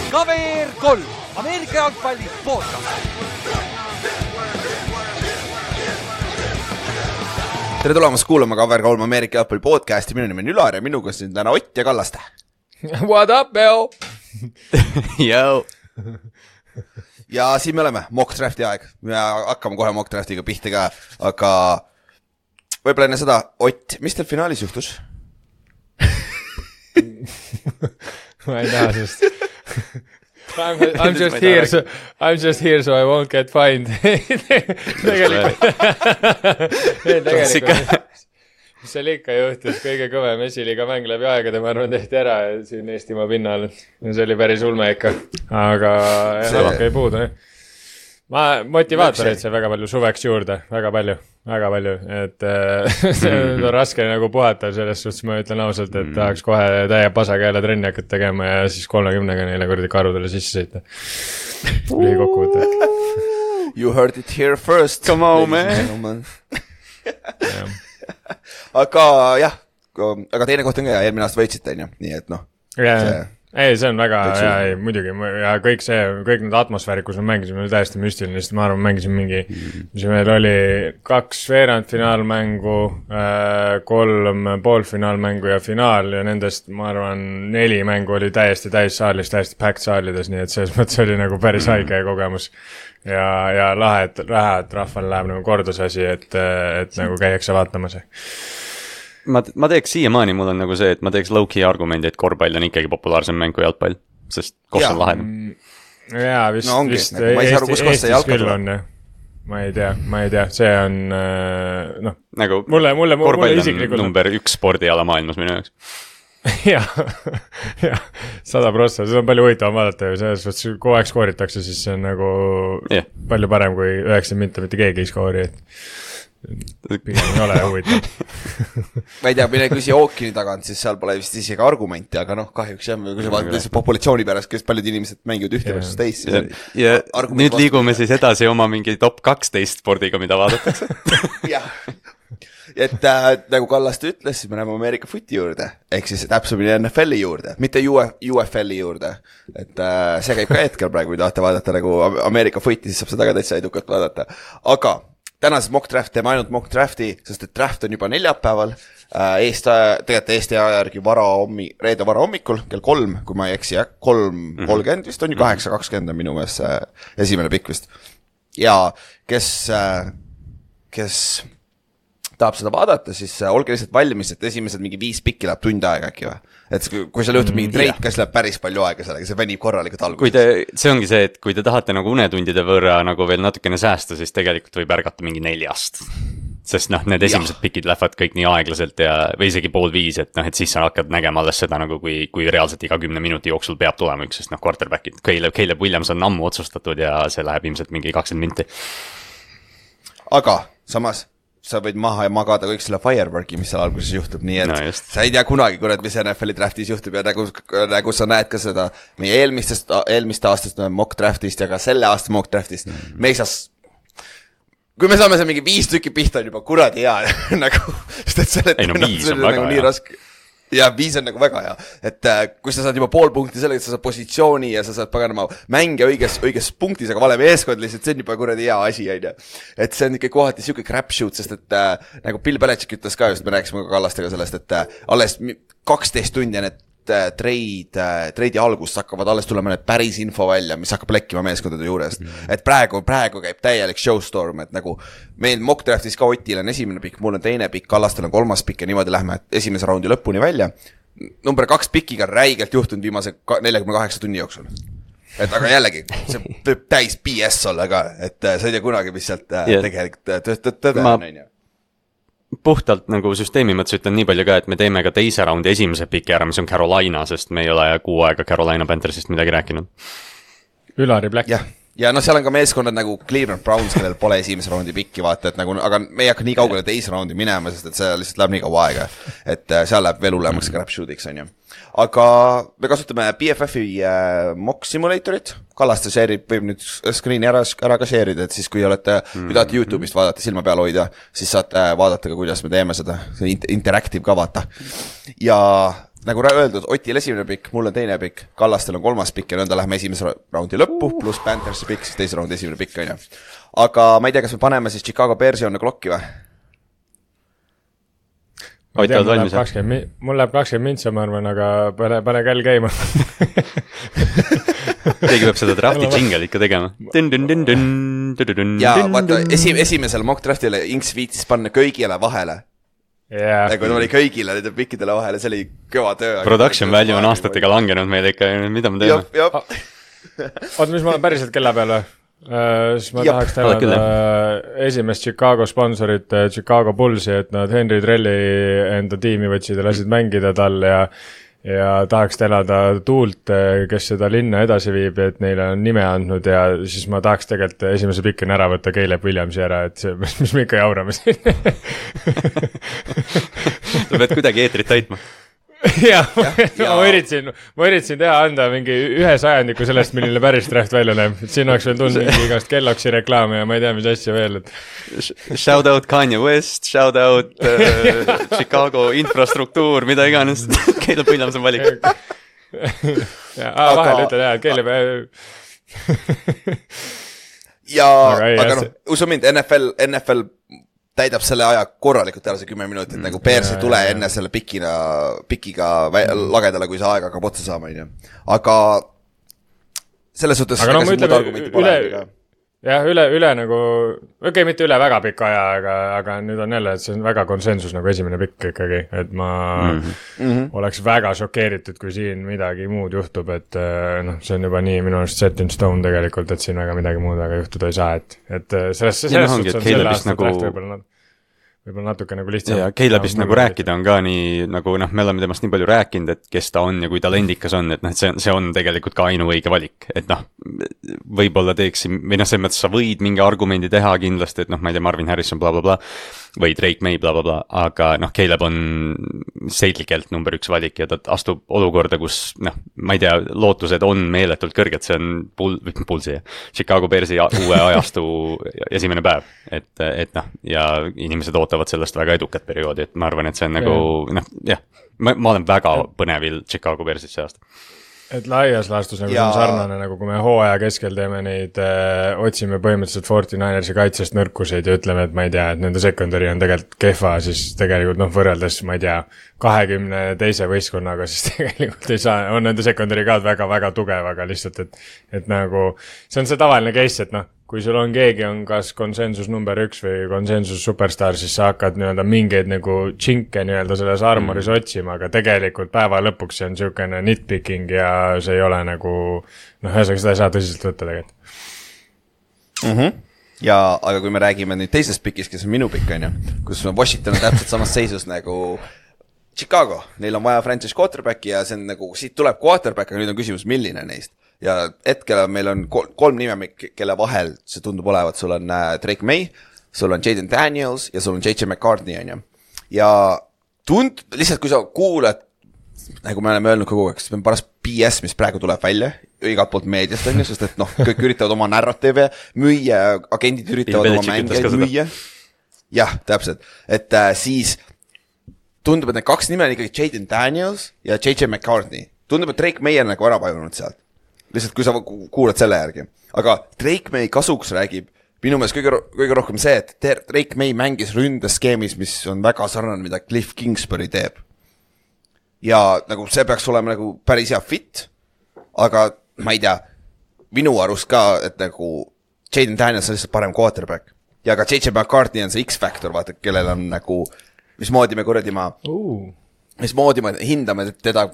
KVR 3, Ameerika jalgpalli podcast. Tere tulemast kuulama KVR 3 Ameerika jalgpalli podcasti. Minu nimi on Ülar ja minuga siin täna Ott ja Kallaste. What up, Bell? Yo. Ja siin me oleme, mock drafti aeg. Me hakkame kohe mock draftiga pihta ka, aga võib-olla enne seda, Ott, mis teil finaalis juhtus? Ma ei taha sest I'm just here so I won't get fined. Tegelikult mis seal ikka juhtus, kõige kõvem esiliiga mäng läbi aegade, ma arvan, tehti ära siin Eestimaa pinnal. See oli päris ulme ikka, aga ei puudu. Motivaatoreid sai väga palju suveks juurde, väga palju, et see on raske nagu puhata selles suhtes, ma ütlen ausalt, et tahaks kohe täie pasaga jälle trenni hakata tegema ja siis 30-ga neile kordi karudele sisse sõita. Lühikokkuvõte. You heard it here first. Come on, man. Aga jah, aga teine koht on ka ja eelmine aasta võitsite, nii et noh. Ei, see on väga hea, muidugi, ja kõik need atmosfäärid, kus me mängisime, oli täiesti müstiline, sest ma arvan, mängisime mingi, mis meil oli 2 veerandfinaalmängu, 3 poolfinaalmängu ja finaal ja nendest, ma arvan, 4 mängu oli täiesti täis saalis, täiesti packed saalides, nii et selles mõttes oli nagu päris haige kogemus ja lahe, et rahval läheb nagu kordusasi, et nagu käiakse vaatamas. Ma teeks siiamaani, mul on nagu see, et ma teeks low-key argumendi, et korvpall on ikkagi populaarsem mäng kui jalgpall, sest koht on lahedam. Jaa, vist ma ei saa aru, kus koht see jalgpall on. Ma ei tea, see on nagu mulle korvpall isiklikult on number 1 spordiala maailmas minu jaoks. Jah, 100%, see on palju huvitavam vaadata ja selles suhtes, kui aeg skooritakse, siis see on nagu palju parem kui 90 minta mitte keegi ei skoori, et pigem ei ole huvitav. Ma ei tea, mine küsi ookeani tagant, siis seal pole vist isegi argumenti, aga noh, kahjuks jah, kui sa vaatad populatsiooni pärast, kes paljud inimesed mängivad ühte versus teist. Ja nüüd liigume siis edasi oma mingi top 12 spordiga, mida vaadatakse. Jah, et nagu Kallaste ütles, siis me näeme Ameerika footi juurde, ehk siis täpsemini NFL-i juurde, mitte UFL-i juurde. Et see käib ka hetkel praegu, kui tahate vaadata nagu Ameerika footi, siis saab seda ka täitsa edukalt vaadata. Aga tänases mock draft teeme ainult mock drafti, sest et draft on juba neljapäeval, tegelikult Eesti aja järgi reede vara hommikul, kell 3, kui ma ei eksi, 3:30 vist on ju 8:20 minu mees esimene pikk vist. Ja kes tahab seda vaadata, siis olge lihtsalt valmis, et esimesed mingi 5 pikki läheb tund aega äkki või? Et kui seal juhtub mingi treit, kas läheb päris palju aega sellega, see venib korralikult alguses. See ongi see, et kui te tahate nagu unetundide võrra nagu veel natukene säästa, siis tegelikult võib ärgata mingi 4. Sest need esimesed pikid lähevad kõik nii aeglaselt või isegi 4:30, et siis sa hakkad nägema alles seda nagu kui reaalselt iga 10 minuti jooksul peab tulema üks, sest quarterbackid, Caleb Williams on ammu otsustatud ja see läheb ilmselt mingi 20 minti. Aga samas sa võid maha ja magada kõik selle fireworki, mis seal alguses juhtub, nii et sa ei tea kunagi, mis NFL-i draftis juhtub ja nagu sa näed ka seda meie eelmiste aastast mock draftist ja ka selle aasta mock draftist, me ei saa, kui me saame see mingi 5 tükki pihta on juba kuradi hea nagu, sest et selle 5 on väga hea. Ja 5 on nagu väga hea, et kui sa saad juba pool punkti sellega, et sa saad positsiooni ja sa saad paganama mänge õiges punktis, aga vale meeskond lihtsalt, see on juba kuradi hea asi, et see on ikka kohati siuke crapshoot, sest et nagu Bill Belichick ütles ka just, me rääkisime ka Kallastega sellest, et alles 12 tundi need treidi algust hakkavad alles tulema need päris info välja, mis hakkab lekkima meeskondade juurest. Et praegu käib täielik showstorm, et nagu meil mock draftis ka Otil on esimene pikk, mul on teine pikk, Kallastel on 3. pikk ja niimoodi lähme esimese raundi lõpuni välja. Number 2 pikiga räigelt juhtunud viimase 48 tunni jooksul. Et aga jällegi, see võib täis BS olla ka, et sa ei tea kunagi, mis sealt tegelikult tõde on. Puhtalt nagu süsteemi mõttes ütlen nii palju ka, et me teeme ka teise raundi esimese piki ära, mis on Carolina, sest me ei ole 6 aega Carolina Panthersist midagi rääkinud. Ülari Black. Jah, ja noh, seal on ka meeskonnad nagu Cleveland Browns, kellel pole esimese raundi pikki, vaata, et nagu, aga me ei hakka nii kaugele teise raundi minema, sest et see lihtsalt läheb nii kaua aega, et seal läheb veel hullemaks crapshootiks, on ju. Aga me kasutame BFF-i mock simulatorit, Kallaste share'ib, võib nüüd screen'i ära ka share'ida, et siis kui olete, kui tahate YouTube'ist vaadata, silma peal hoida, siis saate vaadata ka, kuidas me teeme seda, see interactive ka vaata. Ja nagu öeldud, Otil esimene pikk, mul on teine pikk, Kallastel on kolmas pikk ja nõnda läheme esimese raundi lõppu, pluss Panthersi pikk, siis teise raundi esimene pikk, on ju. Aga ma ei tea, kas me paneme siis Chicago Bearsi on klokki või? Mul läheb 20 mintsa, ma arvan, aga pane kell käima. Keegi peab seda drafti jingle ikka tegema. Ja vaata, esimesel mock draftile Inks viitis panna köigile vahele. Yeah. Nagu ta oli kõigile nende pikkidele vahele, see oli kõva töö. Production value on aastatega langenud meil ikka, mida me teeme? Oota, mis ma olen päriselt kella peal või? Siis ma tahaks tänada esimest Chicago sponsorit Chicago Bullsi, et nad Henry Trelli enda tiimi võtsid ja lasid mängida tal ja tahaks tänada Tuult, kes seda linna edasi viib, et neile on nime andnud ja siis ma tahaks tegelikult esimese pikina ära võtta Caleb Williamsi ära, et see, mis me ikka jaurame siin. Sa pead kuidagi eetrit täitma. Ja. Ma üritasin teha anda mingi 1/100 sellest, milline päris draft välja näeb. Siin oleks veel tundnud mingi igast Kelloggsi reklaame ja ma ei tea, mis asja veel. Shout out Kanye West, shout out Chicago infrastruktuur, mida iganes. Caleb Williams on valik. Vahel ütlen jah, Caleb... Ja, aga noh, usu mind, NFL täidab selle aja korralikult ära see 10 minutit, nagu Bears ei tule enne selle pikiga lagedale, kui see aeg hakkab otsa saama, on ju. Aga selles suhtes... Aga no ma ütleme, üle nagu, mitte üle väga pikka aja, aga nüüd on jälle, et see on väga konsensus nagu esimene pikk ikkagi, et ma oleks väga šokeeritud, kui siin midagi muud juhtub, et noh, see on juba nii minu arust set in stone tegelikult, et siin väga midagi muud väga juhtuda ei saa, et selles suhtes on selle aasta draft võib-olla natuke nagu lihtsam. Ja Calebist nagu rääkida on ka nii, nagu noh, me oleme temast nii palju rääkinud, et kes ta on ja kui talendikas on, et noh, see on tegelikult ka ainuõige valik, et noh, võib-olla teeksin, või noh, selles mõttes sa võid mingi argumendi teha kindlasti, et noh, ma ei tea, Marvin Harrison blablabla, või Drake May blablabla, aga noh, Caleb on selgelt number 1 valik ja ta astub olukorda, kus noh, ma ei tea, lootused on meeletult kõrged, see on Bullsi Chicago Bearsi uue ajastu esimene päev, et noh, ja inimesed ootavad sellest väga edukat perioodi, et ma arvan, et see on nagu noh, jah, ma olen väga põnevil Chicago Bearsit see aasta. Et laias laastus nagu see on sarnane, nagu kui me hooaja keskel teeme neid, otsime põhimõtteliselt 49ersi kaitsest nõrkuseid ja ütleme, et ma ei tea, et nende secondary on tegelikult kehva, siis tegelikult noh, võrreldes, ma ei tea, 20 teise võistkonnaga, siis tegelikult ei saa, on nende secondary ka väga tugev, aga lihtsalt, et nagu, see on see tavaline case, et noh, kui sul on keegi on kas konsensus number 1 või konsensus superstar, siis sa hakkad nii-öelda mingeid nagu tšinke nii-öelda selles armoris otsima, aga tegelikult päeva lõpuks see on niisugune nitpicking ja see ei ole nagu, noh, ühesõnaga seda ei saa tõsiselt võtta tegelikult. Ja, aga kui me räägime nüüd teisest pikist, kes on minu pikk, on ju, kus Washington on täpselt samas seisus nagu Chicago, neil on vaja franchise quarterbacki ja see on nagu, siit tuleb quarterback, aga nüüd on küsimus, milline neist. Ja hetkel meil on 3 nime, kelle vahel see tundub olevat, sul on Drake May, sul on Jaden Daniels ja sul on J.J. McCartney, on ju. Ja lihtsalt kui sa kuulad, nagu me oleme öelnud kogu aeg, see on paras BS, mis praegu tuleb välja, igalt poolt meediast on ju, sest et noh, kõik üritavad oma narratiive müüa, agendid üritavad oma mängijaid müüa. Jah, täpselt, et siis tundub, et need 2 nime on ikkagi Jaden Daniels ja J.J. McCartney. Tundub, et Drake May on nagu ära vajunud sealt. Lihtsalt kui sa kuulad selle järgi. Aga Drake May kasuks räägib minu meelest kõige rohkem see, et Drake May mängis ründeskeemis, mis on väga sarnane, mida Cliff Kingsbury teeb. Ja nagu see peaks olema nagu päris hea fit, aga ma ei tea, minu arust ka, et nagu Jaden Daniels on lihtsalt parem quarterback. Ja ka J.J. McCartney on see X-Factor, vaata, kellel on nagu, mismoodi me hindame teda,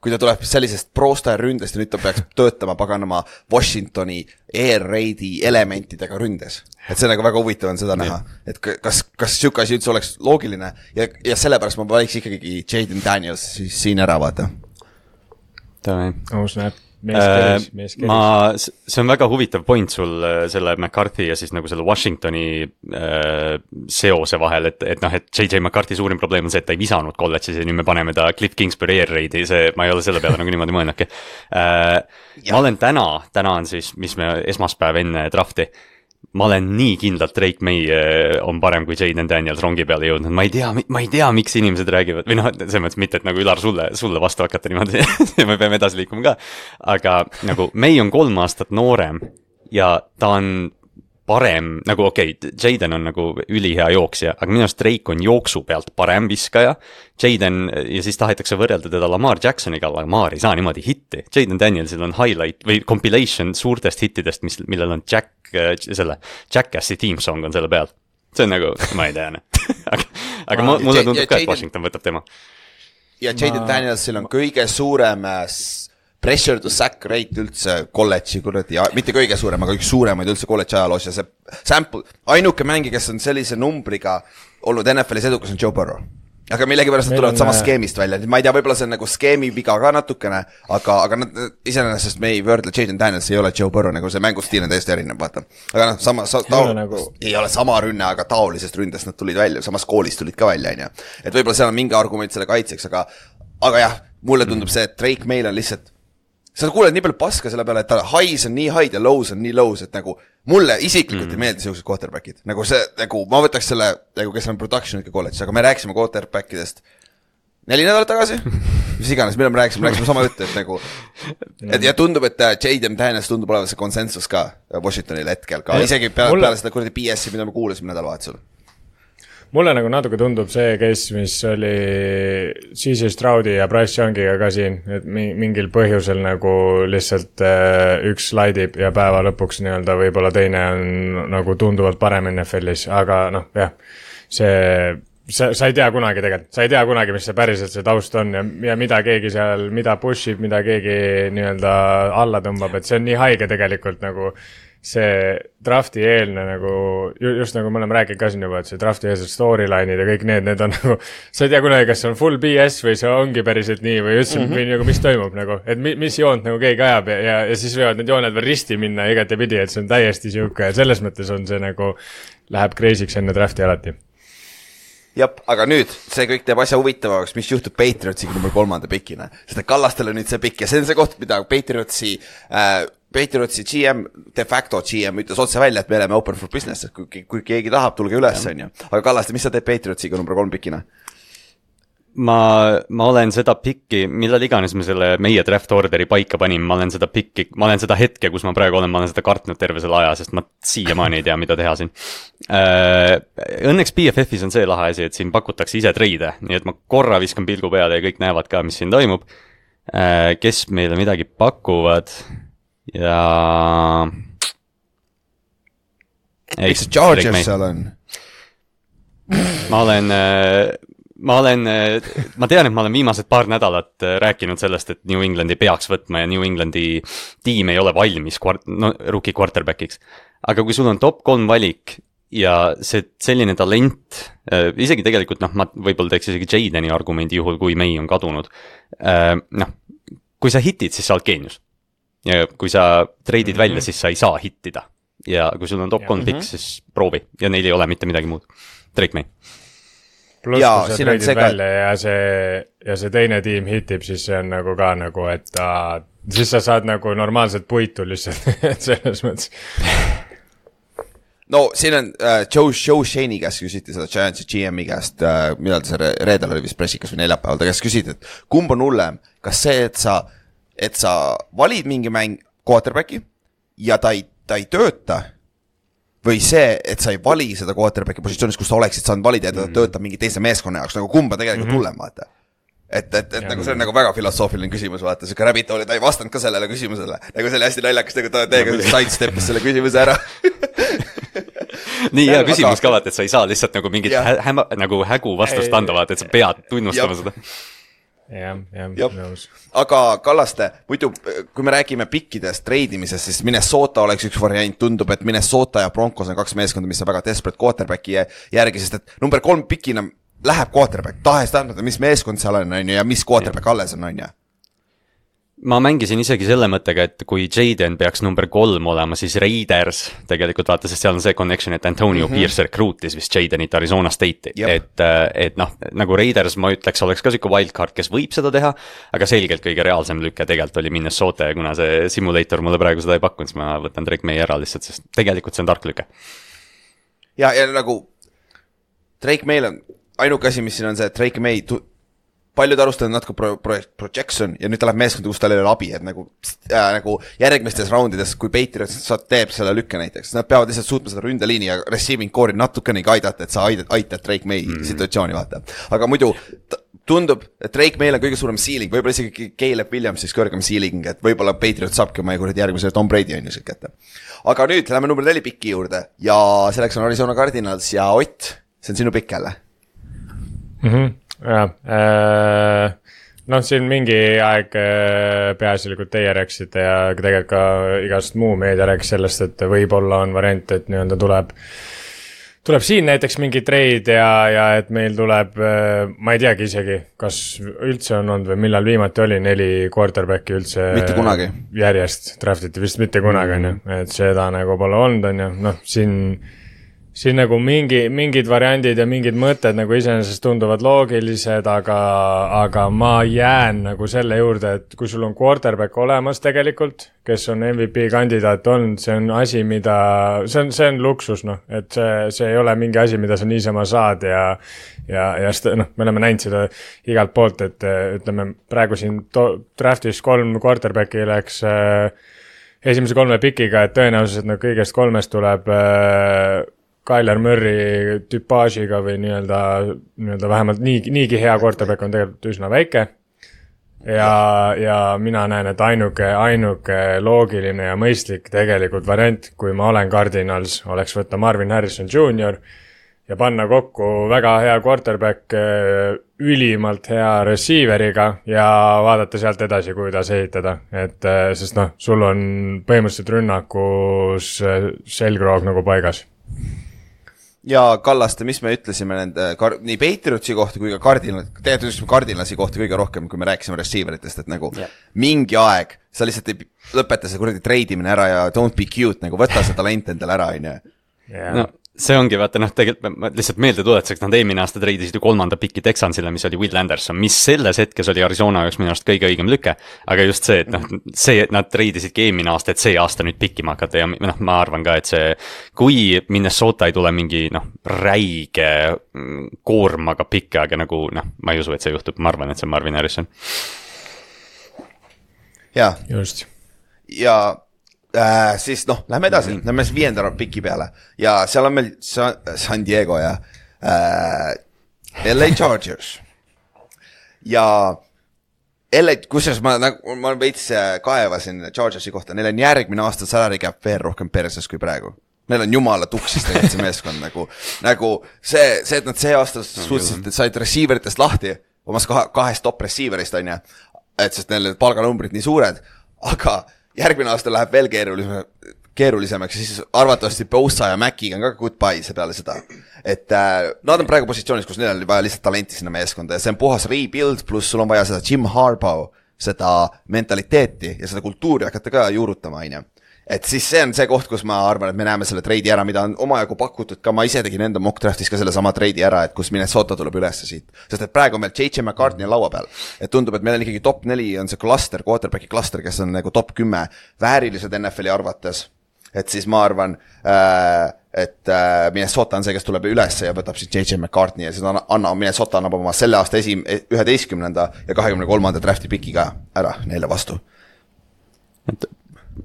kui ta tuleb sellisest pro-star ründest ja nüüd ta peaks töötama paganama Washingtoni air raidi elementidega ründes. Et see nagu väga huvitav on seda näha, et kas siuke asi üldse oleks loogiline ja sellepärast ma valiks ikkagi Jaden Daniels siin ära, vaata. Aus näeb. see on väga huvitav point sul selle McCarthy ja siis nagu selle Washingtoni seose vahel, et noh, et JJ McCarthy suurim probleem on see, et ta ei visanud kolledžis ja nüüd me paneme ta Cliff Kingsbury air raid'i, ma ei ole selle peale nagu niimoodi mõelnudki. Ma olen täna on siis, mis me esmaspäev enne drafti, ma olen nii kindlalt Drake May on parem kui Jaden Daniels rongi peale jõudnud, ma ei tea, miks inimesed räägivad, või noh, selles mõttes mitte, et nagu Ülar sulle vastu hakata niimoodi, me peame edasi liikuma ka, aga nagu May on 3 aastat noorem ja ta on parem, nagu okei, Jaden on nagu ülihea jooksja, aga minu arust Drake on jooksu pealt parem viskaja, Jaden, ja siis tahetakse võrrelda teda Lamar Jacksoniga, aga Lamar ei saa niimoodi hitti. Jaden Danielsil on highlight või compilation suurtest hittidest, millel on Jackassi team song on selle peal. See on nagu, ma ei tea, aga mulle tundub ka, et Washington võtab tema. Ja Jaden Danielsil on kõige suurem pressure to sack rate üldse kolledži, mitte kõige suurem, aga üks suuremaid üldse kolledži ajaloos ja see sample, ainuke mängi, kes on sellise numbriga olnud NFL-is edukas on Joe Burrow. Aga millegipärast nad tulevad samast skeemist välja, ma ei tea, võib-olla see on nagu skeemi viga ka natukene, aga nad iseenesest me ei võrdle, Jaden Daniels ei ole Joe Burrow, nagu see mängustiil on täiesti erinev, vaata. Aga noh, ei ole sama rünne, aga taolisest ründest nad tulid välja, samas koolist tulid ka välja, et võib-olla seal on mingi argument selle kaitseks, aga jah, mulle tundub see, et Drake meil on lihtsalt sa kuuled nii palju paska selle peale, et ta highs on nii high ja lows on nii lows, et nagu mulle isiklikult ei meeldi sellised quarterbackid. Nagu see, nagu ma võtaks selle, nagu kes on production ikka kolledžis, aga me rääkisime quarterbackidest 4 nädalat tagasi, mis iganes, mille me rääkisime sama juttu, et nagu, ja tundub, et Jaden Daniels tundub olevat see konsensus ka Washingtonil hetkel ka, isegi peale seda kuradi BS-i, mida me kuulasime nädalavahetusel. Mulle nagu natuke tundub see case, mis oli CJ Stroudi ja Bryce Youngiga ka siin, et mingil põhjusel nagu lihtsalt üks slaidib ja päeva lõpuks nii-öelda võib-olla teine on nagu tunduvalt parem NFL-is, aga noh, jah, sa ei tea kunagi tegelikult, sa ei tea kunagi, mis see päriselt see taust on ja mida keegi seal, mida pushib, mida keegi nii-öelda alla tõmbab, et see on nii haige tegelikult nagu see drafti eelne nagu, just nagu me oleme rääkinud ka siin juba, et see drafti eelsed storyline'id ja kõik need on nagu, sa ei tea kunagi, kas see on full BS või see ongi päriselt nii või üldse või nagu, mis toimub nagu, et mis joont nagu keegi ajab ja siis võivad need jooned veel risti minna igatepidi, et see on täiesti siuke ja selles mõttes on see nagu, läheb crazy'ks enne drafti alati. Jab, aga nüüd, see kõik teeb asja huvitavaks, mis juhtub Patriotsiga number 3. pikina. Seda Kallastel on nüüd see pikk ja see on see koht, mida Patriotsi GM, de facto GM ütles otse välja, et me oleme open for business, et kui keegi tahab, tulge üles, on ju. Aga Kallaste, mis sa teed Patriotsiga number 3 pikina? Ma olen seda pikki, millal iganes me selle meie draft orderi paika panin, ma olen seda hetke, kus ma praegu olen seda kartnud terve selle aja, sest ma siiamaani ei tea, mida teha siin. Õnneks PFF-is on see lahe asi, et siin pakutakse ise treide, nii et ma korra viskan pilgu peale ja kõik näevad ka, mis siin toimub. Kes meile midagi pakuvad ja... Eks see Chargers seal on? Ma tean, et ma olen viimased paar nädalat rääkinud sellest, et New Englandi peaks võtma ja New Englandi tiim ei ole valmis rookie quarterbackiks. Aga kui sul on top 3 valik ja selline talent, isegi tegelikult, ma võib-olla teeks isegi Jadeni argumendi juhul, kui May on kadunud. Kui sa hitid, siis sa oled geenius. Ja kui sa treidid välja, siis sa ei saa hittida. Ja kui sul on top 3 pick, siis proovi. Ja neil ei ole mitte midagi muud. Drake May. Pluss, kui sa treidid välja ja see teine tiim hitib, siis see on nagu ka nagu, et siis sa saad nagu normaalselt puitu lihtsalt selles mõttes. No siin on Joe Shaney käest küsiti seda Giantsi GM-i käest, millal see reedel oli vist pressikas või neljapäeval, ta käest küsiti, et kumb on hullem, kas see, et sa valid mingi mäng quarterbacki ja ta ei tööta, või see, et sa ei vali seda quarterbacki positsioonis, kus sa oleksid saanud valida ja ta töötab mingi teise meeskonna jaoks, nagu kumba tegelikult hullem, vaata. Et nagu see on nagu väga filosoofiline küsimus, vaata, see Rabbit oli, ta ei vastanud ka sellele küsimusele, nagu see oli hästi naljakas, nagu ta teiega sidesteppis selle küsimuse ära. Nii hea küsimus ka, vaata, et sa ei saa lihtsalt nagu mingit nagu hägu vastust anda, vaata, et sa pead tunnustama seda. Nõus. Aga Kallaste, muidu kui me räägime pikkidest treidimisest, siis Minnesota oleks üks variant, tundub, et Minnesota ja Broncos on 2 meeskonda, mis on väga desperate quarterbacki järgi, sest et number 3 pikina läheb quarterback, tahes tahtmata, mis meeskond seal on ja mis quarterback alles on, ja? ma mängisin isegi selle mõttega, et kui Jaden peaks number 3 olema, siis Raiders tegelikult vaata, sest seal on see connection, et Antonio Pierce recruitis vist Jadenit Arizona State'i. Et noh, nagu Raiders ma ütleks, oleks ka siuke wildcard, kes võib seda teha, aga selgelt kõige reaalsem lükke tegelikult oli Minnesota ja kuna see simulator mulle praegu seda ei pakkunud, siis ma võtan Drake May ära lihtsalt, sest tegelikult see on tark lükke. Ja nagu Drake May'l on ainuke asi, mis siin on see, et Drake May paljud arustavad natuke projection ja nüüd ta läheb meeskonda, kus tal ei ole abi, et nagu järgmistes raundides, kui Patriots teeb selle lükke näiteks, nad peavad lihtsalt suutma seda ründeliini ja receiving core'i natukenegi aidata, et sa aitad Drake May situatsiooni vaata. Aga muidu tundub, et Drake May'l on kõige suurem ceiling, võib-olla isegi Caleb Williams siis kõrgem ceiling, et võib-olla Patriots saabki oma järgmise Tom Brady on ju siuke kätte. Aga nüüd läheme number 4 piki juurde ja selleks on Arizona Cardinals ja Ott, see on sinu pikk jälle. Noh, siin mingi aeg peaasjalikult teie rääksite ja tegelikult ka igast muu meedia rääkis sellest, et võib-olla on variant, et nii-öelda tuleb siin näiteks mingi trade ja et meil tuleb, ma ei teagi isegi, kas üldse on olnud või millal viimati oli 4 quarterbacki üldse mitte kunagi järjest draftiti, vist mitte kunagi on ju, et seda nagu pole olnud on ju, noh siin nagu mingid variandid ja mingid mõtted nagu iseenesest tunduvad loogilised, aga ma jään nagu selle juurde, et kui sul on quarterback olemas tegelikult, kes on MVP kandidaat olnud, see on asi, mida, see on luksus, noh, et see ei ole mingi asi, mida sa niisama saad ja noh, me oleme näinud seda igalt poolt, et ütleme praegu siin draftis 3 quarterbacki läks esimese 3 pikiga, et tõenäoliselt no kõigest 3 tuleb Kyler Murray tüpaažiga või nii-öelda vähemalt niigi hea quarterback on tegelikult üsna väike ja mina näen, et ainuke loogiline ja mõistlik tegelikult variant, kui ma olen Cardinals, oleks võtta Marvin Harrison Jr. ja panna kokku väga hea quarterback ülimalt hea receiveriga ja vaadata sealt edasi, kuidas ehitada, et sest noh, sul on põhimõtteliselt rünnakus selgroog nagu paigas. Ja Kallaste, mis me ütlesime nende nii Patriotsi kohta kui ka Cardinalsi kohta kõige rohkem, kui me rääkisime receiveritest, et nagu mingi aeg sa lihtsalt ei lõpeta see kuradi treidimine ära ja don't be cute, nagu võta see talent endale ära, on ju. No see ongi, vaata noh, tegelikult ma lihtsalt meelde tuletuseks, nad eelmine aasta treidisid ju 3. pikki Texansile, mis oli Will Anderson, mis selles hetkes oli Arizona jaoks minu arust kõige õigem lüke, aga just see, et noh, see, et nad treidisidki eelmine aasta, et see aasta nüüd pikkima hakata ja noh, ma arvan ka, et see, kui Minnesota ei tule mingi noh, räige koormaga pikki, aga nagu noh, ma ei usu, et see juhtub, ma arvan, et see on Marvin Harrison. Jaa. Just. Ja siis noh, lähme edasi, lähme 5. piki peale ja seal on meil San Diego ja LA Chargers ja LA, kusjuures ma veits kaevasin Chargersi kohta, neil on järgmine aasta salary cap veel rohkem perses kui praegu. Neil on jumala tuksis tegelikult see meeskond nagu see, et nad see aasta suutsid, et said receiveritest lahti omas 2 top receiverist on ju, et sest neil palganumbrid nii suured, aga järgmine aasta läheb veel keerulisemaks ja siis arvatavasti Bosa ja Maciga on ka goodbye see peale seda. Et nad on praegu positsioonis, kus neil on vaja lihtsalt talenti sinna meeskonda ja see on puhas rebuild, pluss sul on vaja seda Jim Harbaugh, seda mentaliteeti ja seda kultuuri hakata ka juurutama, on ju. Et siis see on see koht, kus ma arvan, et me näeme selle treidi ära, mida on omajagu pakutud ka, ma ise tegin enda mock draftis ka selle sama treidi ära, et kus Minnesota tuleb ülesse siit. Sest et praegu on meil J.J. McCartney laua peal. Et tundub, et meil on ikkagi top 4 on see cluster, quarterbacki cluster, kes on nagu top 10 väärilised NFL-i arvates. Et siis ma arvan, et Minnesota on see, kes tuleb ülesse ja võtab siis J.J. McCartney ja siis Minnesota annab oma selle aasta 11. ja 23. drafti piki ka ära neile vastu.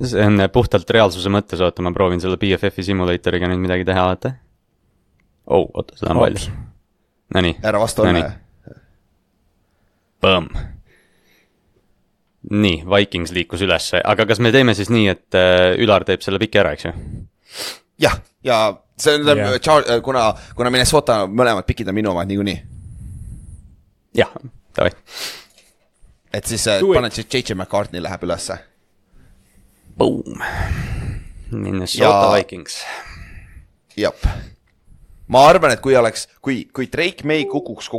See on puhtalt reaalsuse mõttes, oota, ma proovin selle BFF-i simulatoriga nüüd midagi teha, vaata. Oota, seda on palju. Nonii. Ära vastu ole. Põmm. Nii, Vikings liikus ülesse, aga kas me teeme siis nii, et Ülar teeb selle piki ära, eks ju? Jah, ja see on, kuna Minnesota mõlemad pikid on minu omad niikuinii. Jah, davai. Et siis paned siis J.J. McCartney läheb ülesse. Boom. Minnesota Vikings. Jap. Ma arvan, et kui Drake May kukuks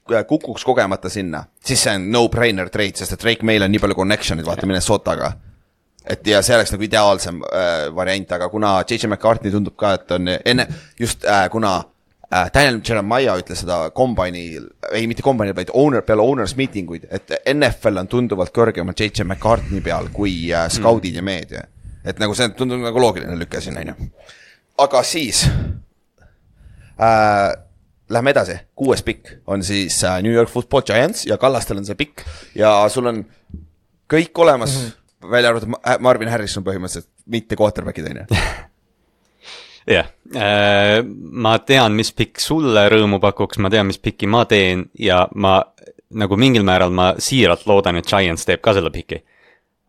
kukuks kogemata sinna, siis see on no-brainer trade, sest et Drake May on nii palju connection'id, vaata Minnesotaga. Et ja see oleks nagu ideaalsem variant, aga kuna J.J. McCartney tundub ka, et on enne, just kuna Daniel Jeremiah ütles seda kombainil, ei mitte kombainil, vaid peale owners meetinguid, et NFL on tunduvalt kõrgemal J.J. McCartney peal kui scoutid ja meedia. Et nagu see tundub nagu loogiline lükke siin, on ju. Aga siis lähme edasi, 6. pikk on siis New York Football Giants ja Kallastel on see pikk ja sul on kõik olemas, välja arvatud Marvin Harrison põhimõtteliselt, mitte quarterbackid, on ju. Jah, ma tean, mis pikk sulle rõõmu pakuks, ma tean, mis pikki ma teen ja ma nagu mingil määral ma siiralt loodan, et Giants teeb ka selle piki.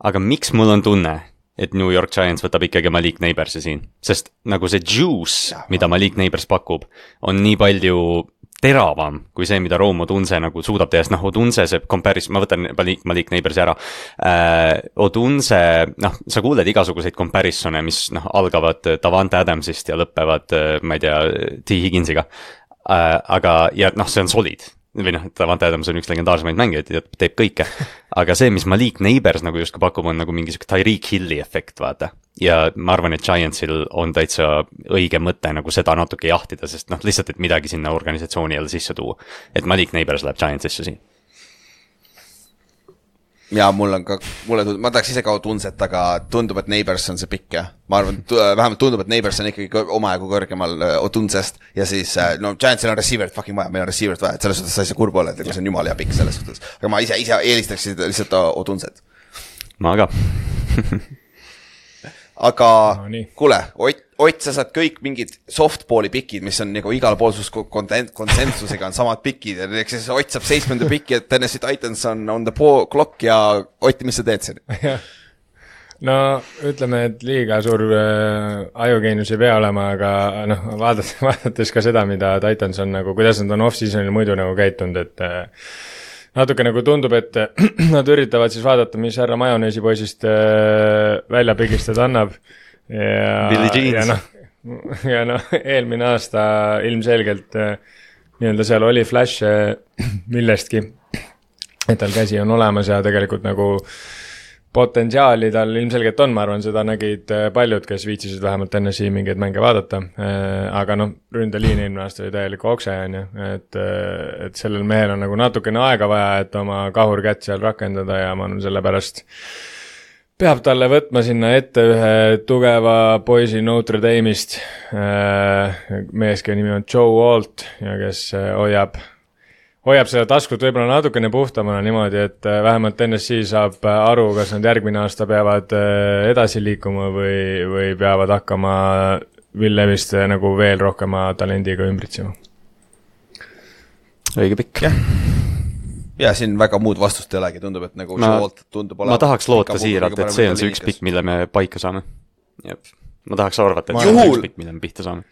Aga miks mul on tunne, et New York Giants võtab ikkagi Malik Neighborsi siin? Sest nagu see juice, mida Malik Neighbors pakub, on nii palju teravam kui see, mida Rome Odunze nagu suudab teha, sest Odunze see comparison, ma võtan Malik Neighborsi ära. Odunze, sa kuuled igasuguseid comparisone, mis algavad Davante Adamsist ja lõppevad, ma ei tea, T. Higginsiga. Aga, ja see on solid. Või Davante Adams on üks legendaarsemaid mängijaid ja teeb kõike. Aga see, mis Malik Neighbors nagu justkui pakub, on nagu mingi Tyreek Hilli efekt, vaata. Ja ma arvan, et Giantsil on täitsa õige mõte nagu seda natuke jahtida, sest lihtsalt, et midagi sinna organisatsiooni jälle sisse tuua. Et Malik Neighbors läheb Giantsisse siin. Ja ma tahaks ise ka Odunset, aga tundub, et Neighbors on see pikk ja ma arvan, vähemalt tundub, et Neighbors on ikkagi omajagu kõrgemal Odunsest ja siis, Giantsil on receiverit fucking vaja, meil on receiverit vaja, et selles suhtes sa ei saa kurb olla, et see on jumal ja pikk selles suhtes, aga ma ise eelistaks lihtsalt Odunset. Ma ka. Aga kuule, Ott, sa saad kõik mingid softballi pikid, mis on nagu igal pool sus konsensusega on samad pikid ja siis Ott saab 7. piki, et Tennessee Titans on the clock ja Ott, mis sa teed siin? No ütleme, et liiga suur ajugeenus ei pea olema, aga vaadates ka seda, mida Titans on nagu, kuidas nad on off-seasonil muidu nagu käitunud, et natuke nagu tundub, et nad üritavad siis vaadata, mis härra majoneesi poisist välja pigistada annab. Billy Jeans. Ja eelmine aasta ilmselgelt nii-öelda seal oli flash millestki, et tal käsi on olemas ja tegelikult nagu potentsiaali tal ilmselgelt on, ma arvan, seda nägid paljud, kes viitsisid vähemalt Tennessee mingeid mänge vaadata, aga ründeliin eelmine aasta oli täielik okse, et sellel mehel on nagu natukene aega vaja, et oma kahurkätt seal rakendada ja ma olen selle pärast peab talle võtma sinna ette ühe tugeva poisi Notre Dame'ist, meeske nimi on Joe Walt ja kes hoiab seda taskut võib-olla natukene puhtamana niimoodi, et vähemalt Tennessee saab aru, kas nad järgmine aasta peavad edasi liikuma või peavad hakkama Will Levist nagu veel rohkema talendiga ümbritsema. Õige pikk. Ja siin väga muud vastust ei olegi, tundub, et nagu tundub ma tahaks loota siiralt, et see on see üks pikk, mille me paika saame. Ma tahaks arvata, et see on üks pikk, mille me pihta saame.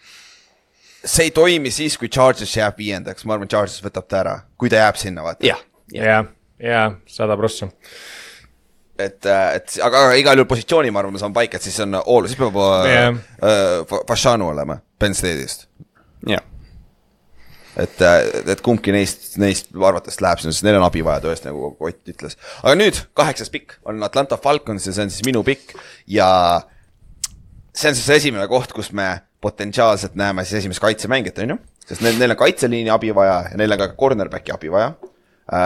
See ei toimi siis, kui Chargers jääb 5. Ma arvan, Chargers võtab ta ära, kui ta jääb sinna, vaata. Ja 100%. Aga igal juhul positsiooni, ma arvan, me saame paika, et siis on all, siis peab Fashanu olema Penn State'ist. Jah. Et kumbki neist arvatavasti läheb sinna, sest neil on abi vaja tõesti, nagu Ott ütles. Aga nüüd 8. pikk on Atlanta Falcons ja see on siis minu pikk ja see on siis esimene koht, kus me potentsiaalselt näeme siis esimest kaitsemängijat, on ju? Sest neil on kaitseliini abi vaja ja neil on ka cornerbacki abi vaja.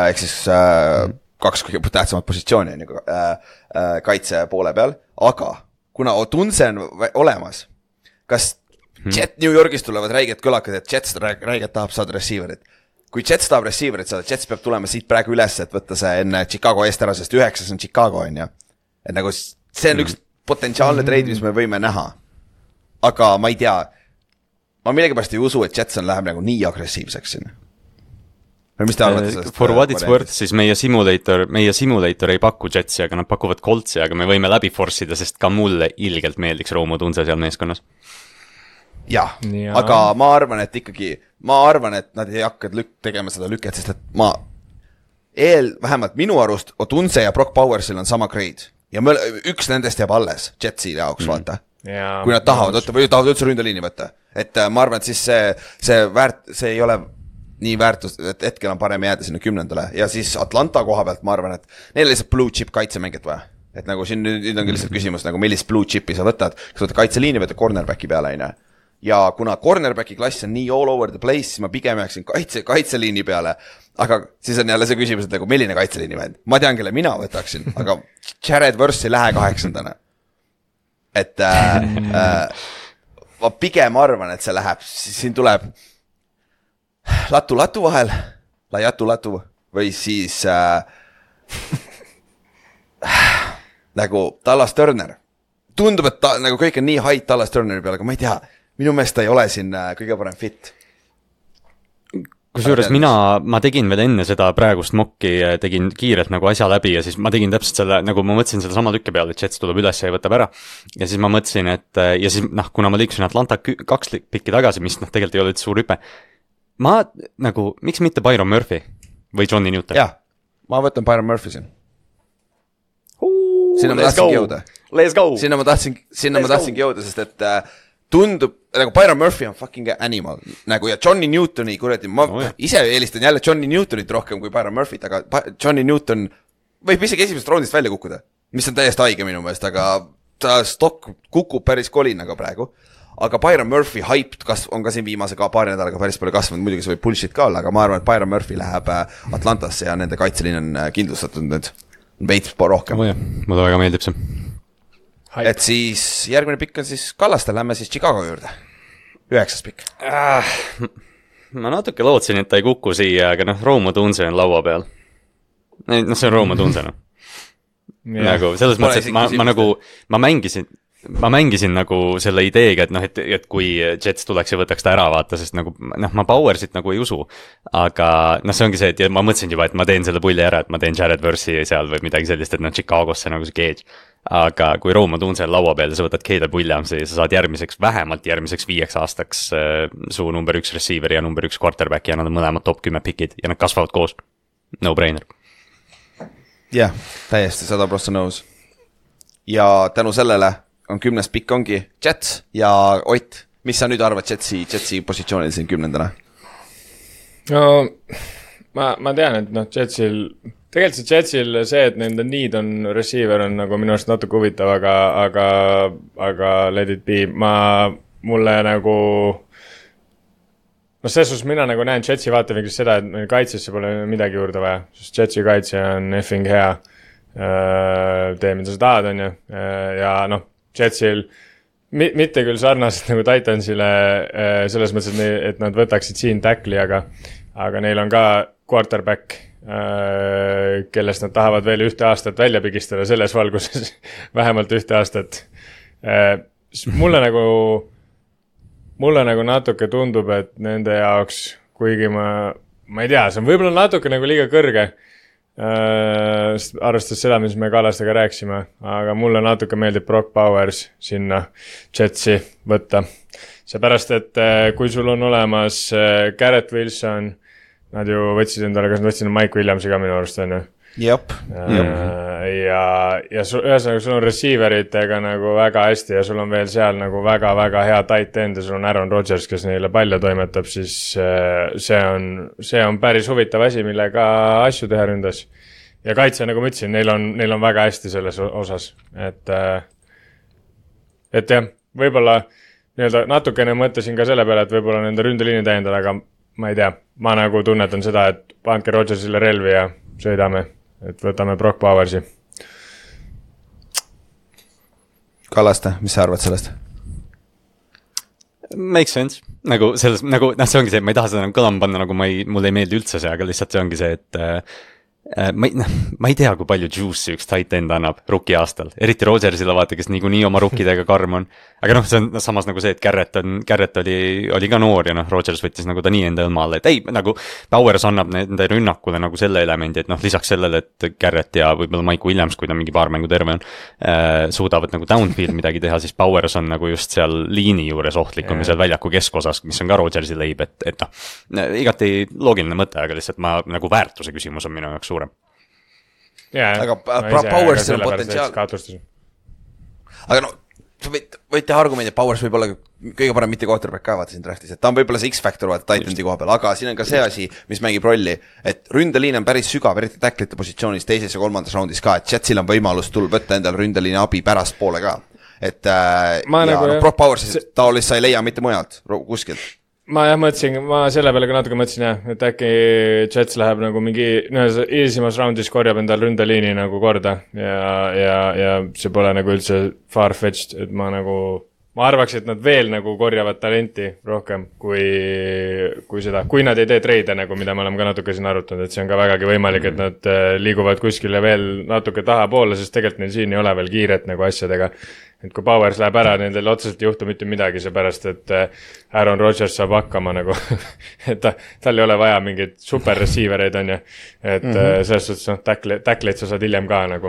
Ehk siis 2 kõige tähtsamat positsiooni on ju kaitse poole peal. Aga kuna Odunze on olemas, kas New Yorgis tulevad räiged kõlakad, et Jets räiged tahab saada receiverit. Kui Jets tahab receiverit saada, Jets peab tulema siit praegu üles, et võtta see enne Chicago eest ära, sest 9 on Chicago, on ju. Et nagu see on üks potentsiaalne trade, mis me võime näha. Aga ma ei tea, ma millegipärast ei usu, et Jetson läheb nagu nii agressiivseks sinna. Või mis te arvate sellest? For what it's worth, siis meie simulator ei paku Jetsi, aga nad pakuvad Coltsi, aga me võime läbi forceida, sest ka mulle ilgelt meeldiks Rome Odunze seal meeskonnas. Jah, aga ma arvan, et nad ei hakka tegema seda lüket, sest et vähemalt minu arust Odunze ja Brock Powersil on sama grade. Ja üks nendest jääb alles Jetsi jaoks, vaata. Kui nad tahavad, või tahavad üldse ründeliini võtta. Et ma arvan, et siis see ei ole nii väärtus, et hetkel on parem jääda sinna 10. Ja siis Atlanta koha pealt ma arvan, et neil lihtsalt blue chip kaitsemängijat vaja. Et nagu siin nüüd ongi lihtsalt küsimus, nagu millist blue chipi sa võtad, kas võtad kaitseliini võtad cornerbacki peale, ei näe. Ja kuna cornerbacki klass on nii all over the place, siis ma pigem jääksin kaitseliini peale, aga siis on jälle see küsimus, et nagu milline kaitseliini vend. Ma tean, kelle mina võtaksin, aga Jared Verse ei lähe 8. Et ma pigem arvan, et see läheb, siin tuleb latu vahel, latu või siis nagu Dallas Turner. Tundub, et nagu kõik on nii hait Dallas Turneri peale, aga ma ei tea, minu meelest ta ei ole siin kõige parem fit. Kusjuures ma tegin veel enne seda praegust mokki, tegin kiirelt nagu asja läbi ja siis ma tegin täpselt selle, nagu ma mõtlesin seda sama tükke peale, et Jets tuleb üles ja võtab ära. Ja siis ma mõtlesin, et ja siis kuna ma liiksin Atlanta 2 pikki tagasi, mis tegelikult ei ole suur hüpe. Ma nagu, miks mitte Byron Murphy või Johnny Newton? Jah, ma võtan Byron Murphy siin. Sinna ma tahtsingi jõuda. Let's go! Sinna ma tahtsingi jõuda, sest et tundub, nagu Byron Murphy on fucking animal, nagu ja Johnny Newtoni, kuradi, ma ise eelistan jälle Johnny Newtonit rohkem kui Byron Murphyt, aga Johnny Newton võib isegi esimesest roundist välja kukkuda, mis on täiesti haige minu meelest, aga ta stock kukub päris kolinaga praegu, aga Byron Murphy hype on ka siin viimase paari nädalaga päris palju kasvanud, muidugi see võib bullshit ka olla, aga ma arvan, et Byron Murphy läheb Atlantasse ja nende kaitseliin on kindlustatud nüüd veits rohkem. Mulle väga meeldib see. Et siis järgmine pikk on siis Kallaste, lähme siis Chicago juurde. 9. pikk. Ma natuke lootsin, et ta ei kuku siia, aga Rome Odunze on laua peal. See on Rome Odunze, Nagu selles mõttes, et ma mängisin nagu selle ideega, et kui Jets tuleks ja võtaks ta ära vaata, sest nagu, ma Powersit nagu ei usu, aga see ongi see, et ma mõtlesin juba, et ma teen selle pulli ära, et ma teen Jared Verse'i seal või midagi sellist, et Chicagosse nagu see Cage, aga kui Rome Odunze on laua peal ja sa võtad Caleb Williamsi ja sa saad vähemalt järgmiseks 5 aastaks su number 1 receiver ja number 1 quarterback ja nad on mõlemad top 10 pikid ja nad kasvavad koos, no brainer. Jah, täiesti 100% nõus. Ja tänu sellele on 10. pikk ongi Jets ja Ott, mis sa nüüd arvad Jetsi positsioonil siin 10. No ma tean, et tegelikult see Jetsil see, et nende need on receiver on nagu minu arust natuke huvitav, aga let it be, mulle nagu selles suhtes mina nagu näen Jetsi vaatevinklist seda, et meil kaitsesse pole midagi juurde vaja, sest Jetsi kaitse on effing hea, tee mida sa tahad, on ju, ja Jetsil mitte küll sarnaselt nagu Titansile selles mõttes, et nad võtaksid siin tackli, aga neil on ka quarterback, kellest nad tahavad veel 1 aastat välja pigistada selles valguses, vähemalt 1 aastat. Mulle nagu natuke tundub, et nende jaoks, kuigi ma ei tea, see on võib-olla natuke nagu liiga kõrge, arvestades seda, mis me Kallastega rääksime, aga mulle natuke meeldib Brock Bowers sinna Jetsi võtta. Seepärast, et kui sul on olemas Garrett Wilson, nad ju võtsid endale, kas nad võtsid Mike Williamsi ka minu arust, on ju? Jep. Ja ühesõnaga sul on receiveritega nagu väga hästi ja sul on veel seal nagu väga-väga hea tight end ja sul on Aaron Rodgers, kes neile palju toimetab, siis see on päris huvitav asi, millega asju teha ründas. Ja kaitse, nagu ma ütlesin, neil on väga hästi selles osas, et jah, võib-olla natukene mõtlesin ka selle peale, et võib-olla nende ründeliini täiendada, aga ma ei tea, ma nagu tunnetan seda, et pandke Rodgersile relvi ja sõidame. Et võtame Brock Bowersi. Kallaste, mis sa arvad sellest? Makes sense. Nagu selles, nagu, see ongi see, ma ei taha seda nagu kõlama panna, nagu mulle ei meeldi üldse see, aga lihtsalt see ongi see, et ma ei tea, kui palju juice'i üks tight end annab rookie aastal, eriti Rodgersile vaata, kes niikuinii oma rookidega karm on, aga see on samas nagu see, et Garrett oli ka noor ja Rodgers võttis nagu ta nii enda õlmaale, et ei, nagu Bowers annab nende rünnakule nagu selle elemendi, et lisaks sellele, et Garrett ja võib-olla Mike Williams, kui ta mingi paar mängu terve on, suudavad nagu downfield midagi teha, siis Bowers on nagu just seal liini juures ohtlikum ja seal väljaku keskosas, mis on ka Rodgersi leib, et igati loogiline mõte, aga lihtsalt nagu väärtuse küsimus on minu jaoks suurem. Aga Powersil on potentsiaal. Aga võid teha argumendi, et Powers võib olla kõige parem mitte quarterback ka vaata siin draftis, et ta on võib-olla see X-Factor vaata Titansi koha peal, aga siin on ka see asi, mis mängib rolli, et ründeliin on päris sügav, eriti tacklite positsiooniis teises ja kolmandas raundis ka, et Jetsil on võimalus võtta endale ründeliini abi pärast poole ka. Et Brock Powers taolist sa ei leia mitte mujalt, kuskilt. Ma mõtlesin, ma selle peale ka natuke mõtlesin jah, et äkki Jets läheb nagu mingi esimeses raundis korjab endal ründeliini nagu korda ja see pole nagu üldse far-fetched, et ma arvaks, et nad veel nagu korjavad talenti rohkem kui seda, kui nad ei tee treide nagu, mida me oleme ka natuke siin arutanud, et see on ka vägagi võimalik, et nad liiguvad kuskile veel natuke tahapoole, sest tegelikult neil siin ei ole veel kiiret nagu asjadega. Et kui Powers läheb ära, nendel otseselt ei juhtu mitte midagi, seepärast, et Aaron Rodgers saab hakkama nagu, et tal ei ole vaja mingeid super receivereid on ju, et selles suhtes tackleid sa saad hiljem ka nagu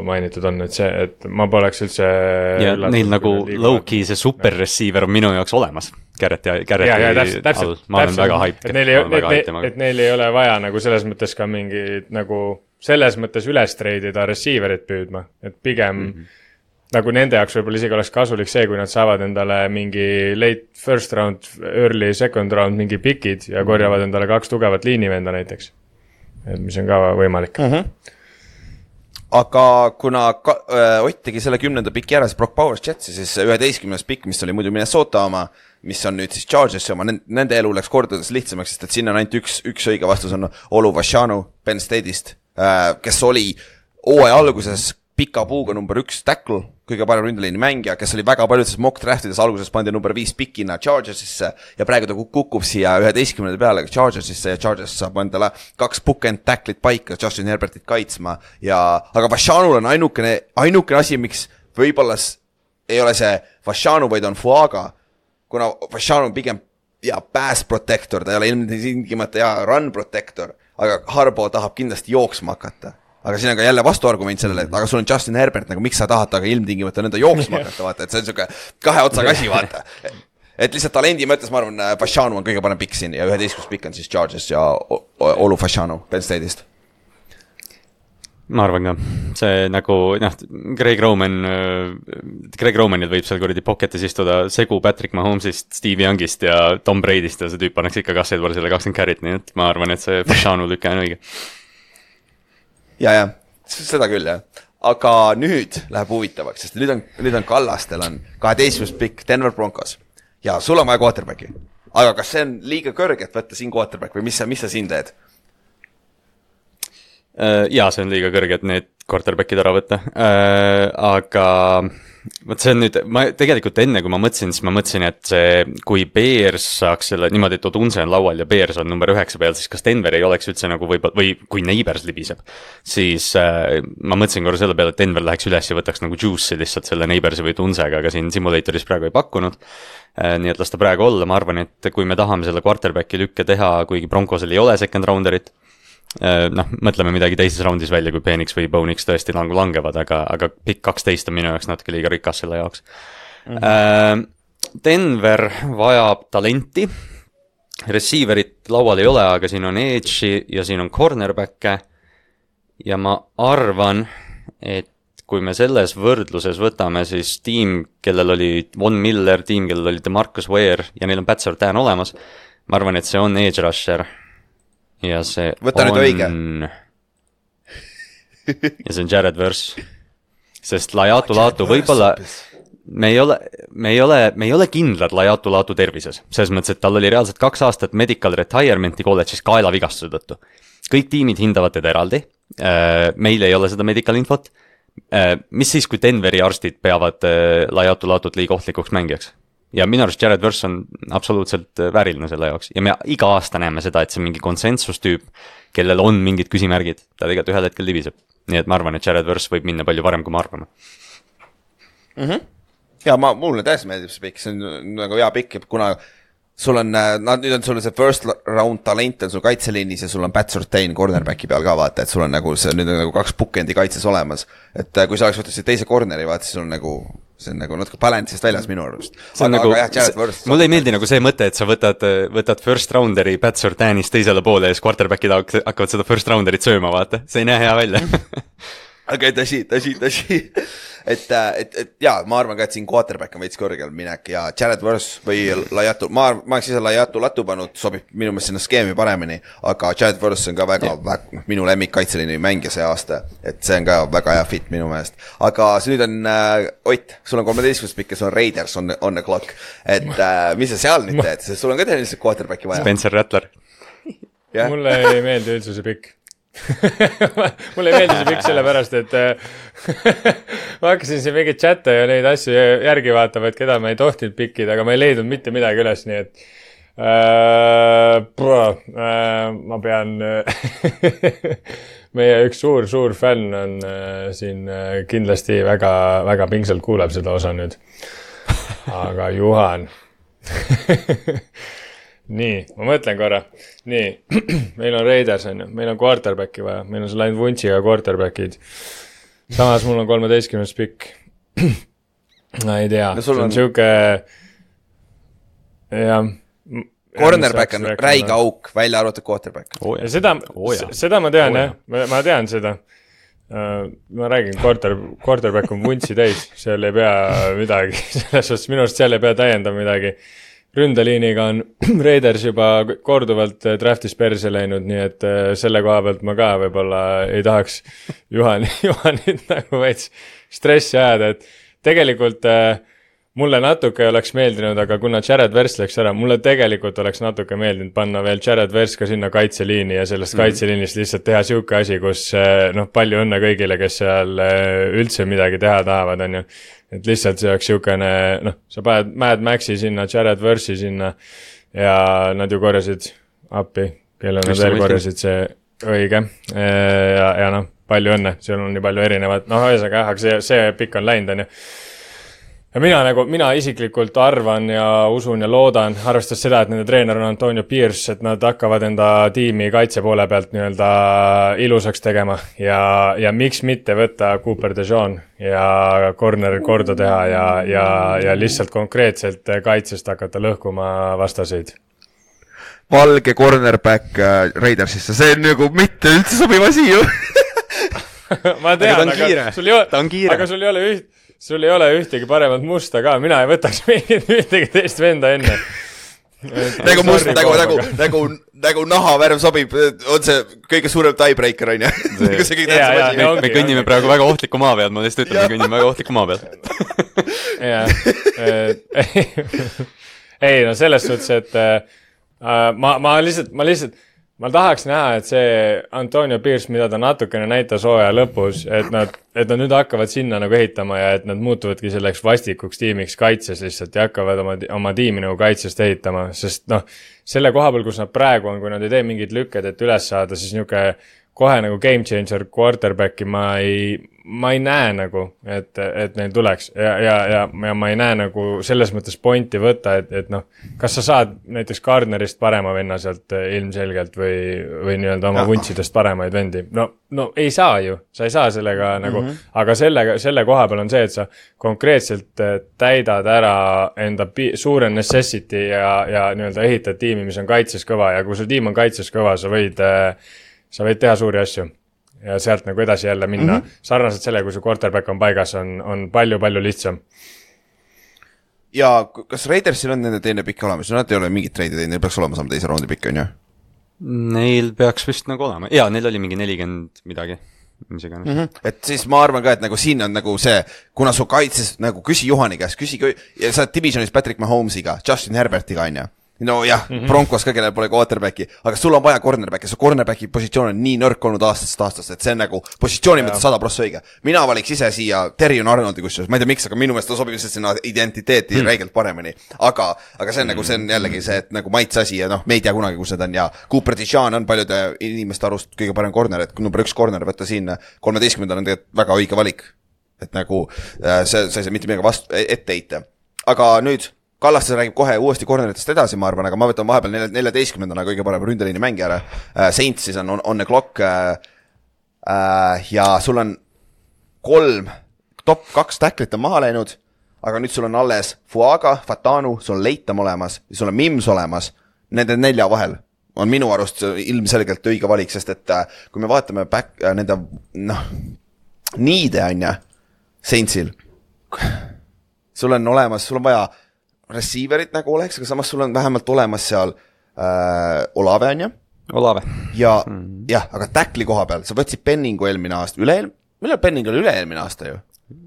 mainitud on, et ma poleks üldse ja neil nagu low-key see super receiver on minu jaoks olemas Garretti all, ma olen väga hype et neil ei ole vaja nagu selles mõttes ka mingid nagu selles mõttes üles treidida receiverit püüdma, et pigem nagu nende jaoks võib-olla isegi oleks kasulik see, kui nad saavad endale mingi late first round, early second round mingi pikid ja korjavad endale 2 tugevat liinivenda näiteks, et mis on ka võimalik. Aga kuna Ott tegi selle 10. piki ära, siis Brock Powers Jetsi, siis 11. pikk, mis oli muidu Minnesota oma, mis on nüüd siis Chargersi oma, nende elu läks kordades lihtsamaks, sest et sinna on ainult üks õige vastus on Olu Vashanu Penn State'ist, kes oli hooaja alguses pika puuga number 1 tackle, kõige parem ründeliini mängija, kes oli väga paljudes mock draftides alguses pandi number 5 pikina Chargersisse ja praegu ta kukub siia 11. peale Chargersisse ja Chargers saab endale 2 bookend tacklit paika Justin Herbertit kaitsma aga Vashanul on ainukene asi, miks võib-olla ei ole see Vashanu, vaid on Fuaga, kuna Vashanu on pigem pass protector, ta ei ole ilmtingimata run protector, aga Harbo tahab kindlasti jooksma hakata. Aga siin on ka jälle vastuargument sellele, et aga sul on Justin Herbert, nagu miks sa tahad taga ilmtingimata nõnda jooksma hakata, vaata, et see on siuke 2 otsaga asi, vaata. Et lihtsalt talendi mõttes, ma arvan, Vashanu on kõige parem pikk siin ja 11. pikk on siis Chargers ja Olu Vashanu Penn State'ist. Ma arvan ka, see nagu, Greg Romanil võib seal kuradi pocketis istuda segu Patrick Mahomesist, Steve Youngist ja Tom Brady'st ja see tüüp annaks ikka Gus Edwardsile 20 carry't, nii et ma arvan, et see Vashanu lükka on õige. Ja, seda küll, jah. Aga nüüd läheb huvitavaks, sest nüüd on Kallastel on 12. pikk Denver Broncos ja sul on vaja quarterbacki. Aga kas see on liiga kõrge, et võtta siin quarterback või mis sa siin teed? Jaa, see on liiga kõrge, et need quarterbackid ära võtta, aga võt see on nüüd, ma tegelikult enne kui ma mõtlesin, et kui Bears saaks selle niimoodi, et Odunse on laual ja Bears on number 9 peal, siis kas Denver ei oleks üldse nagu või kui Neighbors libiseb, siis ma mõtlesin korra selle peale, et Denver läheks üles ja võtaks nagu Juice'i lihtsalt selle Neighborsi või Odunsega, aga siin simulatoris praegu ei pakkunud, nii et las ta praegu olla, ma arvan, et kui me tahame selle quarterbacki lükke teha, kuigi Broncosel ei ole second rounderit, mõtleme midagi teises raundis välja, kui Penix või Bonix tõesti langevad, aga pikk 12 on minu jaoks natuke liiga rikas selle jaoks. Denver vajab talenti, receiverit laual ei ole, aga siin on edge'i ja siin on cornerback'e ja ma arvan, et kui me selles võrdluses võtame siis tiim, kellel oli Von Miller, tiim, kellel oli DeMarcus Ware ja neil on Pat Surtain olemas, ma arvan, et see on edge rusher ja see võta nüüd õige. Ja see on Jared Verse, sest Laiatu võib-olla me ei ole kindlad Laiatu tervises, selles mõttes, et tal oli reaalselt 2 aastat medical retirement'i kolledžis kaelavigastuse tõttu. Kõik tiimid hindavad teda eraldi, meil ei ole seda medical infot, mis siis, kui Denveri arstid peavad Laiatu liiga ohtlikuks mängijaks? Ja minu arust Jared Verse on absoluutselt vääriline selle jaoks ja me iga aasta näeme seda, et see mingi konsensustüüp, kellel on mingid küsimärgid, ta tegelikult ühel hetkel libiseb. Nii et ma arvan, et Jared Verse võib minna palju varem, kui ma arvame. Ja mulle täiesti meeldib see pikk, see on nagu hea pikk, kuna sul on, nüüd on sul see first round talent on sul kaitseliinis ja sul on Pat Surtain cornerbacki peal ka vaata, et sul on nagu see nüüd on nagu 2 bookendi kaitses olemas, et kui sa oleks võtnud see teise corneri vaata, siis sul on nagu see on nagu natuke balance'ist väljas minu arust. Mulle ei meeldi nagu see mõte, et sa võtad first rounderi Pat Surtainist teisele poole ja siis quarterbackid hakkavad seda first rounderit sööma, vaata. See ei näe hea välja. aga tõsi. et jaa, ma arvan ka, et siin quarterback on veits kõrgel minek ja Jared Verse või Laiatu, ma oleks ise Laiatu latu pannud, sobib minu meelest sinna skeemi paremini, aga Jared Verse on ka väga minu lemmik kaitseliini mängija see aasta, et see on ka väga hea fit minu meelest. Aga see nüüd on, Ott, sul on 13 pikk ja sul on Raiders on the clock, et mis sa seal nüüd teed, sest sul on ka tehniliselt quarterbacki vaja. Spencer Rattler. Mulle ei meeldi üldse see pikk. Mulle ei meeldi see pikk sellepärast, et ma hakkasin siin mingit chatte ja neid asju järgi vaatama, et keda ma ei tohtinud pikkida, aga ma ei leidnud mitte midagi üles, nii et ma pean meie üks suur fänn on siin kindlasti väga, väga pingsalt kuuleb seda osa nüüd. Aga Juhan nii, ma mõtlen korra. Nii, meil on Raiders, meil on quarterbacki vaja, meil on see läinud vuntsiga quarterbackid. Samas mul on 13 pikk. Ma ei tea, see on siuke cornerback on räiga auk, välja arvatud quarterback. Seda ma tean, jah. Ma tean seda. Ma räägin, quarterback on vuntsi täis, seal ei pea midagi. Selles suhtes minust seal ei pea täiendama midagi. Ründeliiniga on Raiders juba korduvalt draftis perse läinud, nii et selle koha pealt ma ka võib-olla ei tahaks Juhanit nagu veits stressi ajada, et tegelikult mulle natuke oleks meeldinud, aga kuna Jared Verse läks ära, mulle tegelikult oleks natuke meeldinud panna veel Jared Verse ka sinna kaitseliini ja sellest kaitseliinist lihtsalt teha siuke asi, kus palju õnne kõigile, kes seal üldse midagi teha tahavad, on ju. Et lihtsalt see oleks siukene, sa paned Mad Maxi sinna, Jared Verse'i sinna ja nad ju korjasid appi, kelle nad veel korjasid see õige ja palju õnne, seal on nii palju erinevat, ühesõnaga, aga see pikk on läinud, on ju. Ja mina isiklikult arvan ja usun ja loodan, arvestades seda, et nende treener on Antonio Pierce, et nad hakkavad enda tiimi kaitse poole pealt nii-öelda ilusaks tegema ja miks mitte võtta Cooper DeJean ja corner korda teha ja lihtsalt konkreetselt kaitsest hakata lõhkuma vastaseid. Valge cornerback Raidersisse, see on nagu mitte üldse sobiv asi ju. Ma tean, aga sul ei ole ühtegi paremat musta ka, mina ei võtaks ühtegi teist venda enne. Nagu must, nagu nahavärv sobib, on see kõige suurem tiebreaker, on ju? Me kõnnime praegu väga ohtliku maa peal, ma lihtsalt ütlen, me kõnnime väga ohtliku maa peal. Ei, selles suhtes, et ma tahaks näha, et see Antonio Pierce, mida ta natukene näitas hooaja lõpus, et nad nüüd hakkavad sinna nagu ehitama ja et nad muutuvadki selleks vastikuks tiimiks kaitses lihtsalt ja hakkavad oma tiimi nagu kaitsest ehitama, sest selle koha peal, kus nad praegu on, kui nad ei tee mingid lükked, et üles saada, siis niuke kohe nagu game changer quarterbacki ma ei näe nagu, et neil tuleks ja ma ei näe nagu selles mõttes pointi võtta, et kas sa saad näiteks Gardnerist parema venna sealt ilmselgelt või nii-öelda oma vuntsidest paremaid vendi? No ei saa ju, sa ei saa sellega nagu, aga selle koha peal on see, et sa konkreetselt täidad ära enda suure necessity ja nii-öelda ehitad tiimi, mis on kaitses kõva ja kui su tiim on kaitses kõva, sa võid teha suuri asju ja sealt nagu edasi jälle minna. Sarnaselt selle, kui su quarterback on paigas, on palju lihtsam. Ja kas Raidersil on nende teine pikk olemas? Nad ei ole mingit treidi teinud, neil peaks olema saama teise raundi pikk, on ju? Neil peaks vist nagu olema. Jaa, neil oli mingi 40 midagi. Et siis ma arvan ka, et nagu siin on nagu see, kuna su kaitses nagu küsi Juhani käest, ja sa oled divisionis Patrick Mahomesiga, Justin Herbertiga, on ju? No jah, Broncos ka, kellel pole quarterbacki, aga sul on vaja cornerbacki, su cornerbacki positsioon on nii nõrk olnud aastast, et see on nagu positsiooni mõttes 100% õige. Mina valiks ise siia Terrion Arnoldi kusjuures, ma ei tea miks, aga minu meelest ta sobib sinna identiteeti räigelt paremini. Aga see on nagu, see on jällegi see, et nagu maitse asi ja me ei tea kunagi, kus need on ja Cooper DeJean on paljude inimeste arust kõige parem corner, et number 1 corner võtta siin 13. on tegelikult väga õige valik. Et nagu see ei saa mitte midagi ette heita. Aga nüüd Kallastes räägib kohe uuesti corneritest edasi, ma arvan, aga ma võtan vahepeal 14. kõige parem ründeliini mängijale. Saints siis on the clock ja sul on 3 top 2 tacklit on maha läinud, aga nüüd sul on alles Fuaga, Fatanu, sul on Leitam olemas ja sul on Mims olemas. Nende 4 vahel on minu arust ilmselgelt õige valik, sest et kui me vaatame nende niide on ja Saintsil. Sul on vaja receiverit nagu oleks, aga samas sul on vähemalt olemas seal Olave on ja. Olave. Ja jah, aga tackli koha peal, sa võtsid Penningu eelmine aasta, millal Penning oli üle-eelmine aasta ju?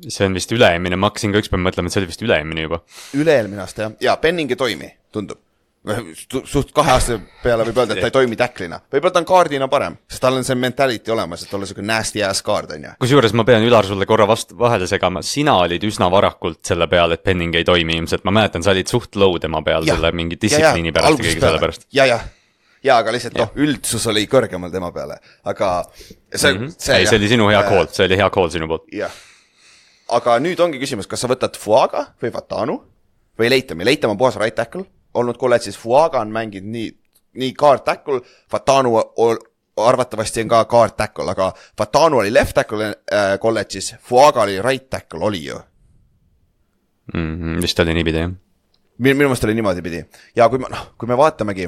See on vist üle-eelmine, ma hakkasin ka ükspäev mõtlema, et see oli vist üle-eelmine juba. Üle-eelmine aasta jah, ja Penning ei toimi, tundub. Suht 2 aasta peale võib öelda, et ta ei toimi tacklina. Võib-olla ta on kaardina parem, sest tal on see mentality olemas, et olla selline nasty ass kaard on ja. Kusjuures ma pean Ülar sulle korra vahele segama, sina olid üsna varakult selle peal, et Penning ei toimi ilmselt, ma mäletan, sa olid suht low tema peal selle mingi distsipliini pärast ja kõige selle pärast. Ja, aga lihtsalt üldsus oli kõrgemal tema peale, aga see oli sinu hea call, see oli hea call sinu poolt. Jah, aga nüüd ongi küsimus, kas sa võtad Fuaga või Fatanu või Leitami, Leitam on puhas right tackle, olnud kolledžis, Fuaga on mänginud nii guard tackle, Fatanu arvatavasti on ka guard tackle, aga Fatanu oli left tackle kolledžis, Fuaga oli right tackle, oli ju? Vist oli niipidi, jah. Minu meelest oli niimoodi pidi. Ja kui me vaatamegi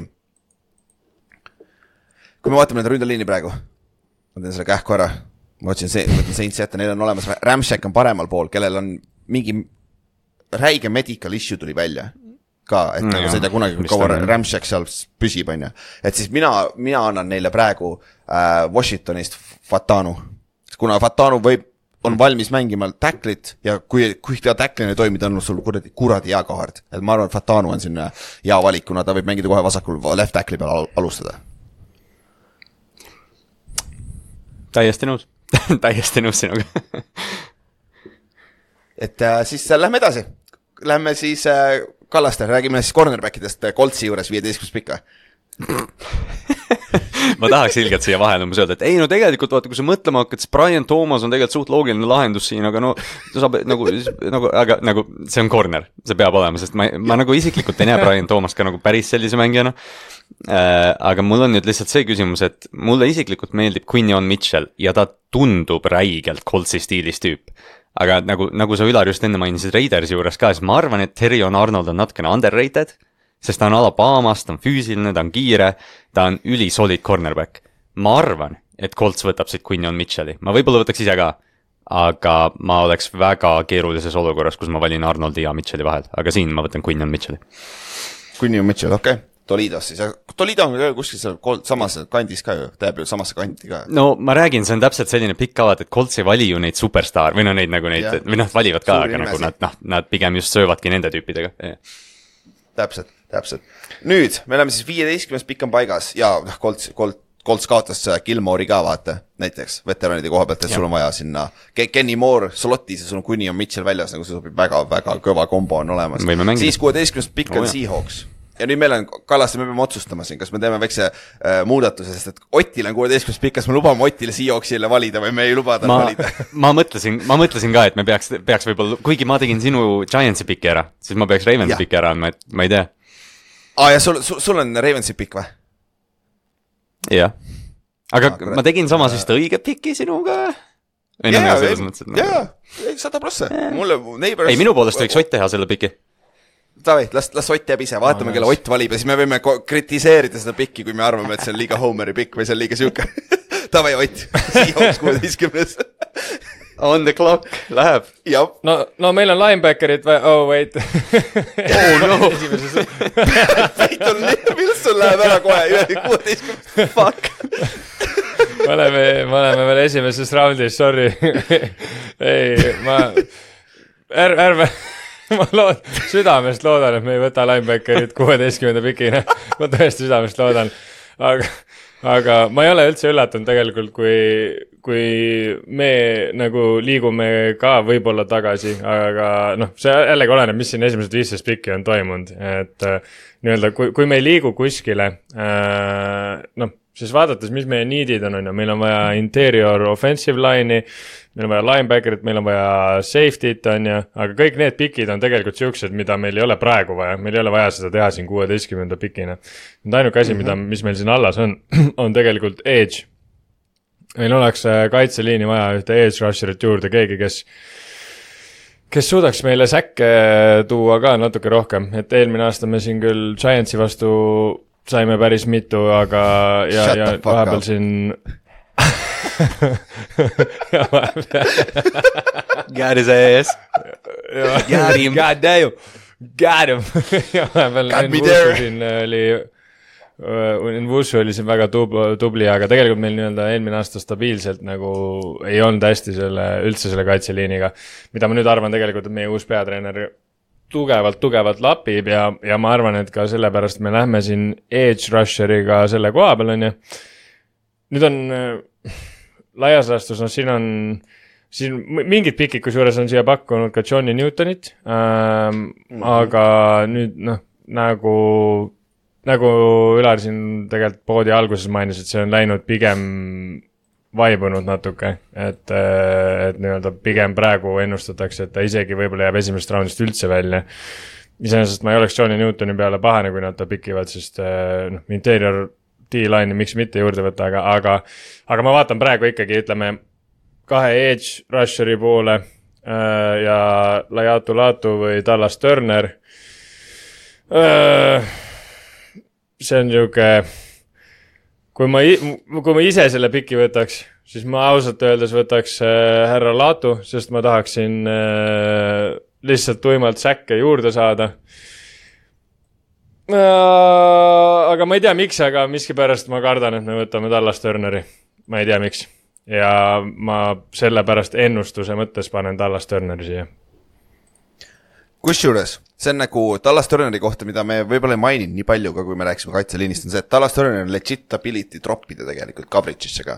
nende ründeliini praegu, ma teen selle kähku ära, ma võtsin Saints jätta, neil on olemas, Ramshack on paremal pool, kellel on mingi räige medical issue tuli välja ka, et nagu sa ei tea kunagi kaua Ramshack seal püsib, on ja. Et siis mina annan neile praegu Washingtonist Fatanu, kuna Fatanu on valmis mängima tacklit ja kui ta tacklina ei toimi, ta on sul kuradi hea kaard. Et ma arvan, et Fatanu on siin hea valik, kuna ta võib mängida kohe vasakul left tackli peal alustada. Täiesti nõus sinuga. Et siis lähme edasi. Lähme siis Kallaste, räägime siis cornerbackidest Coltsi juures 15 pikka. Ma tahaks ilgelt siia vahel öelda, et ei no tegelikult vaata, kui sa mõtlema hakkad, siis Brian Thomas on tegelikult suht loogiline lahendus siin, aga no saab nagu see on corner, see peab olema, sest ma nagu isiklikult ei näe Brian Thomas ka nagu päris sellise mängijana. Aga mul on nüüd lihtsalt see küsimus, et mulle isiklikult meeldib Quinion Mitchell ja ta tundub räigelt Coltsi stiilis tüüp. Aga nagu sa Ülar just enne mainisid Raidersi juures ka, siis ma arvan, et Terrion Arnold on natukene underrated, sest ta on Alabamas, ta on füüsiline, ta on kiire, ta on ülisolid cornerback. Ma arvan, et Colts võtab siit Quinion Mitchelli. Ma võib-olla võtaks ise ka, aga ma oleks väga keerulises olukorras, kus ma valin Arnoldi ja Mitchelli vahel. Aga siin ma võtan Quinion Mitchelli. Quinion Mitchell, okei. Tolidos siis. Tolido on kuskil samas kandis ka ju, teeb ju samasse kanti ka. No ma räägin, see on täpselt selline pikk kavad, et Colts ei vali ju neid superstar või neid nagu neid, või valivad ka, aga nagu nad pigem just söövadki nende tüüpidega. Täpselt. Nüüd, me oleme siis 15 pikk on paigas ja Colts kaotas Gilmore'i ka vaata, näiteks veteranide koha pealt, et sul on vaja sinna Kenny Moore slotis ja sul on Quinion Mitchell väljas, nagu see sobib väga kõva kombo on olemas. Siis 16 pikk on Seahawks. Ja nüüd meil on, Kallaste, me peame otsustama siin, kas me teeme väikse muudatuse, sest et Otil on 16 pikk, kas me lubame Otile Seahawksile valida või me ei luba tal valida? Ma mõtlesin ka, et me peaks võib-olla, kuigi ma tegin sinu Giantsi pikki ära, siis ma peaks Ravensi pikki ära andma, et ma ei tea. Ja sul on Ravensi pikk või? Jah. Aga ma tegin samas vist õige pikki sinuga. Jaa, 100%. Ei, minu poolest võiks Ott teha selle pikki. Tavai, las Ott jääb ise, vaatame, kelle Ott valib ja siis me võime kritiseerida seda pikki, kui me arvame, et see on liiga Homeri pikk või see on liiga siuke. Tavai, Ott, Seahawks 16. On the clock, läheb. No meil on linebackerid või, wait. No. Peyton Wilson läheb ära kohe, 16. Fuck. Me oleme veel esimeses raundis, sorry. Ei, ärme... Ma südamest loodan, et me ei võta linebackerit 16. pikina. Ma tõesti südamest loodan. Aga ma ei ole üldse üllatunud tegelikult, kui me nagu liigume ka võib-olla tagasi, aga see jällegi oleneb, mis siin esimesed 15 pikki on toimunud. Et nii-öelda, kui me ei liigu kuskile, siis vaadates, mis meie needid on, meil on vaja interior offensive line'i, meil on vaja linebackerit, meil on vaja safety't, aga kõik need pikid on tegelikult siuksed, mida meil ei ole praegu vaja, meil ei ole vaja seda teha siin 16. pikina. Nüüd ainuke asi, mis meil siin allas on tegelikult edge. Meil oleks kaitseliini vaja ühte edge rusherit juurde, keegi, kes suudaks meile säkke tuua ka natuke rohkem, et eelmine aasta me siin küll Giantsi vastu saime päris mitu, aga ja vahepeal siin Got his ass. Got him. God damn. Got him. Got me there. Siin oli Nvusu oli siin väga tubli, aga tegelikult meil nii-öelda eelmine aasta stabiilselt nagu ei olnud hästi üldse selle kaitseliiniga, mida ma nüüd arvan tegelikult, et meie uus peatreener tugevalt lapib ja ma arvan, et ka sellepärast me lähme siin edge rusheriga selle koha peal, on ju. Nüüd on laias laastus, siin mingid pikikus juures on siia pakkunud ka Johnny Newtonit, aga nüüd nagu Ülar siin tegelikult poodi alguses mainis, et see on läinud pigem vaibunud natuke, et nii-öelda pigem praegu ennustatakse, et ta isegi võib-olla jääb esimesest raundist üldse välja. Iseenesest ma ei oleks Johnny Newtoni peale pahane, kui nad ta pikivad, sest interior D-line'i miks mitte juurde võtta, aga ma vaatan praegu ikkagi, ütleme, 2 edge rusheri poole ja Laiatu Latu või Dallas Turner. See on niuke, kui ma ise selle piki võtaks, siis ma ausalt öeldes võtaks härra Latu, sest ma tahaksin lihtsalt tuimalt säkke juurde saada. Aga ma ei tea miks, aga miskipärast ma kardan, et me võtame Dallas Turneri. Ma ei tea miks. Ja ma sellepärast ennustuse mõttes panen Dallas Turneri siia. Kusjuures, see on nagu Dallas Turneri kohta, mida me võib-olla ei maininud nii palju ka, kui me rääksime kaitseliinist, on see, et Dallas Turner on legit ability droppida tegelikult coverage'isse ka.